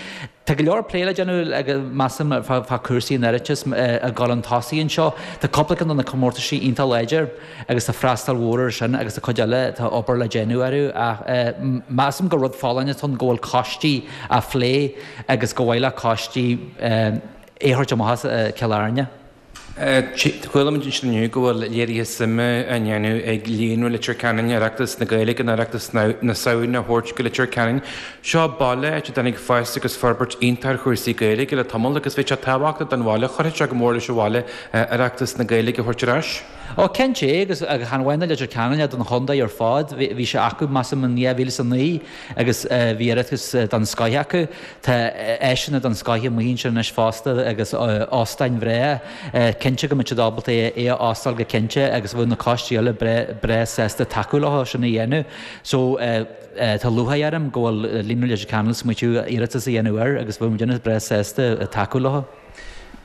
Tá go leor plé le déanamh measaim fá chúrsaí an Oireachtais ag dul chun tosaigh anseo. Tá cúpla ceann de na comórtaisí iontach láidir agus tá freastal mhór air sin agus tá cuid eile tá obair le déanamh orthu ach measaim gur rud folláin atá ann go bhfuil coistí á phlé agus gur mhaith le coistí é a thabhairt amach as Cill Airne. Chuala muid ansin inniu go bhfuil léirithe suime á ndéanamh ag Líonra Leitir Ceanainn, Oireachtas na Gaeilge nó Oireachtas na Samhna a thabhairt go Leitir Ceanainn. Seo baile áit a dtáinig fás agus forbairt iontach ar chúrsaí Gaeilge le tamall agus bheadh sé tábhachtach don bhaile, chuirfeadh sé go mór leis an bhaile Oireachtas na Gaeilge a thabhairt ar ais. Ó, cinnte, agus chan amháin do Leitir Ceanainn ach don chontae ar fad. Bhí sé acu, measaim, in dhá mhíle is a naoi agus bhí Oireachtas den scoith acu. Tá áiseanna den scoith amuigh ansin anois fosta agus óstáin bhreá. Cinnte go mbeadh siad ábalta é a óstáil go cinnte agus bheadh na coistí eile breá sásta tacú leo sin a dhéanamh. So tá lúcháir orm go bhfuil Líonra Leitir Ceanainn ag smaoitiú iarratas a dhéanamh air agus bheadh muidinne breá sásta tacú leo.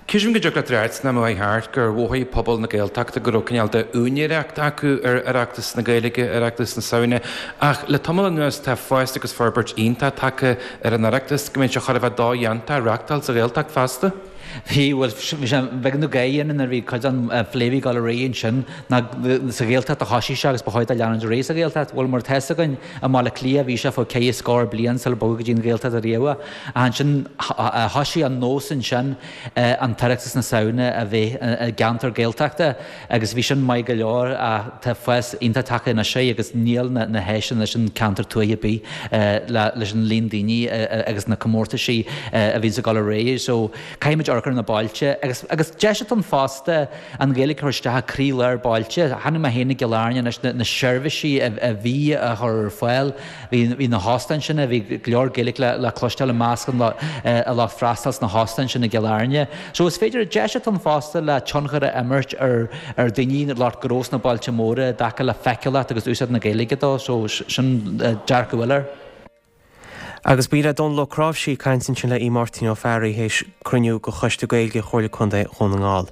Creidim go dtiocfadh leat a ráit san am a chuaigh thart gur mhothaigh pobal na Gaeltachta go raibh cineál de úinéireacht acu ar Oireachtas na Gaeilge, Oireachtas na Samhna, ach le tamall anuas tá fás agus forbairt iontach tagtha ar an Oireachtas go mbeidh sé chóir a bheith dodhéanta a reáchtáil sa Ghaeltacht feasta. Bhí, bhuel, bhí sé beag nó gáire ionainn nuair a bhí cuid den phlé a bhí ag dul ar aghaidh ansin ná sa Ghaeltacht a thosaigh sé agus ba chóir dó leanúint ar aghaidh sa Ghaeltacht. Bhuel, mar atá fhios againn, i mBaile Átha Cliath bhí sé fá ceithre scór bliain sular bogadh go dtí an Ghaeltacht ariamh. Ach ansin thosaigh an nós ansin an tOireachtas na Samhna a bheith i gceantar Gaeltachta agus bhí sin maith go leor ach tá fás iontach tagtha anois air agus níl na háiseanna leis an ceantar tuaithe ar bith leis an líon daoine agus na comórtaisí a bhíonns ag dul ar aghaidh. So caithfimid amharc ar na bailte agus agus deis atá ann fosta an Ghaeilge a chur isteach i croílár bailte. Chonaic mé féin i gCill Airne anois na seirbhísí a bhí á chur ar fáil. Bhí na hóstáin sin, bhí go leor Gaeilge le cloisteáil i measc an lucht freastail sna hóstáin sin i gCill Airne. So is féidir, deis atá ann fosta le tionchar a imirt ar ar daoine, lucht gnó sna bailte móra i dtaca le feiceálacht agus úsáid na Gaeilge dó, so sin dearcadh eile air. Agus b'in é Dónal Ó Cnáimhsí ag caint ansin le Aodh Máirtín Ó Fearraigh théis cruinniú de Choiste Gaeilge Chomhairle Contae Dhún na nGall.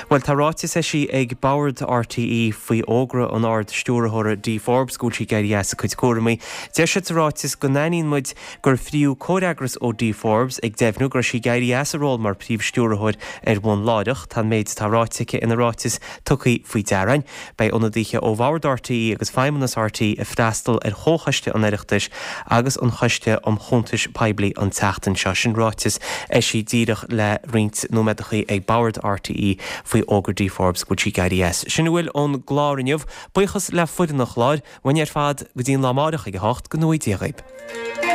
Bhuel, tá ráiteas eisithe ag Bord RTÉ faoi fhógra an Ard-Stiúrthóra Dee Forbes go bhfuil sí ag éirí as a cuid cúramaí. Deir siad sa ráiteas go n-aithníonn muid gur fríodh comhfhreagras ó Dee Forbes ag deimhniú go raibh sí ag éirí as a ról mar Phríomh-Stiúrthóir ar bhonn láithreach. Tá an méid atá ráite aici ina ráiteas tugtha faoi deara againn. Beidh ionadaithe ó Bhord RTÉ agus Feidhmeannas RTÉ ag freastal ar Chomhchoiste an Oireachtais agus an Choiste um Chuntais Poiblí an tseachtain seo. Sin ráiteas eisithe díreach le roinnt nóiméadachaí ag Bord RTÉ faoi fhógra Dee Forbes go bhfuil sí ag éirí as. Sin a bhfuil ón gclár inniu. Buíochas le foireann an chláir. Uainn ar fad go dtí an lá amáireach ag a hocht, go ngnóthaí Dia dhaoib.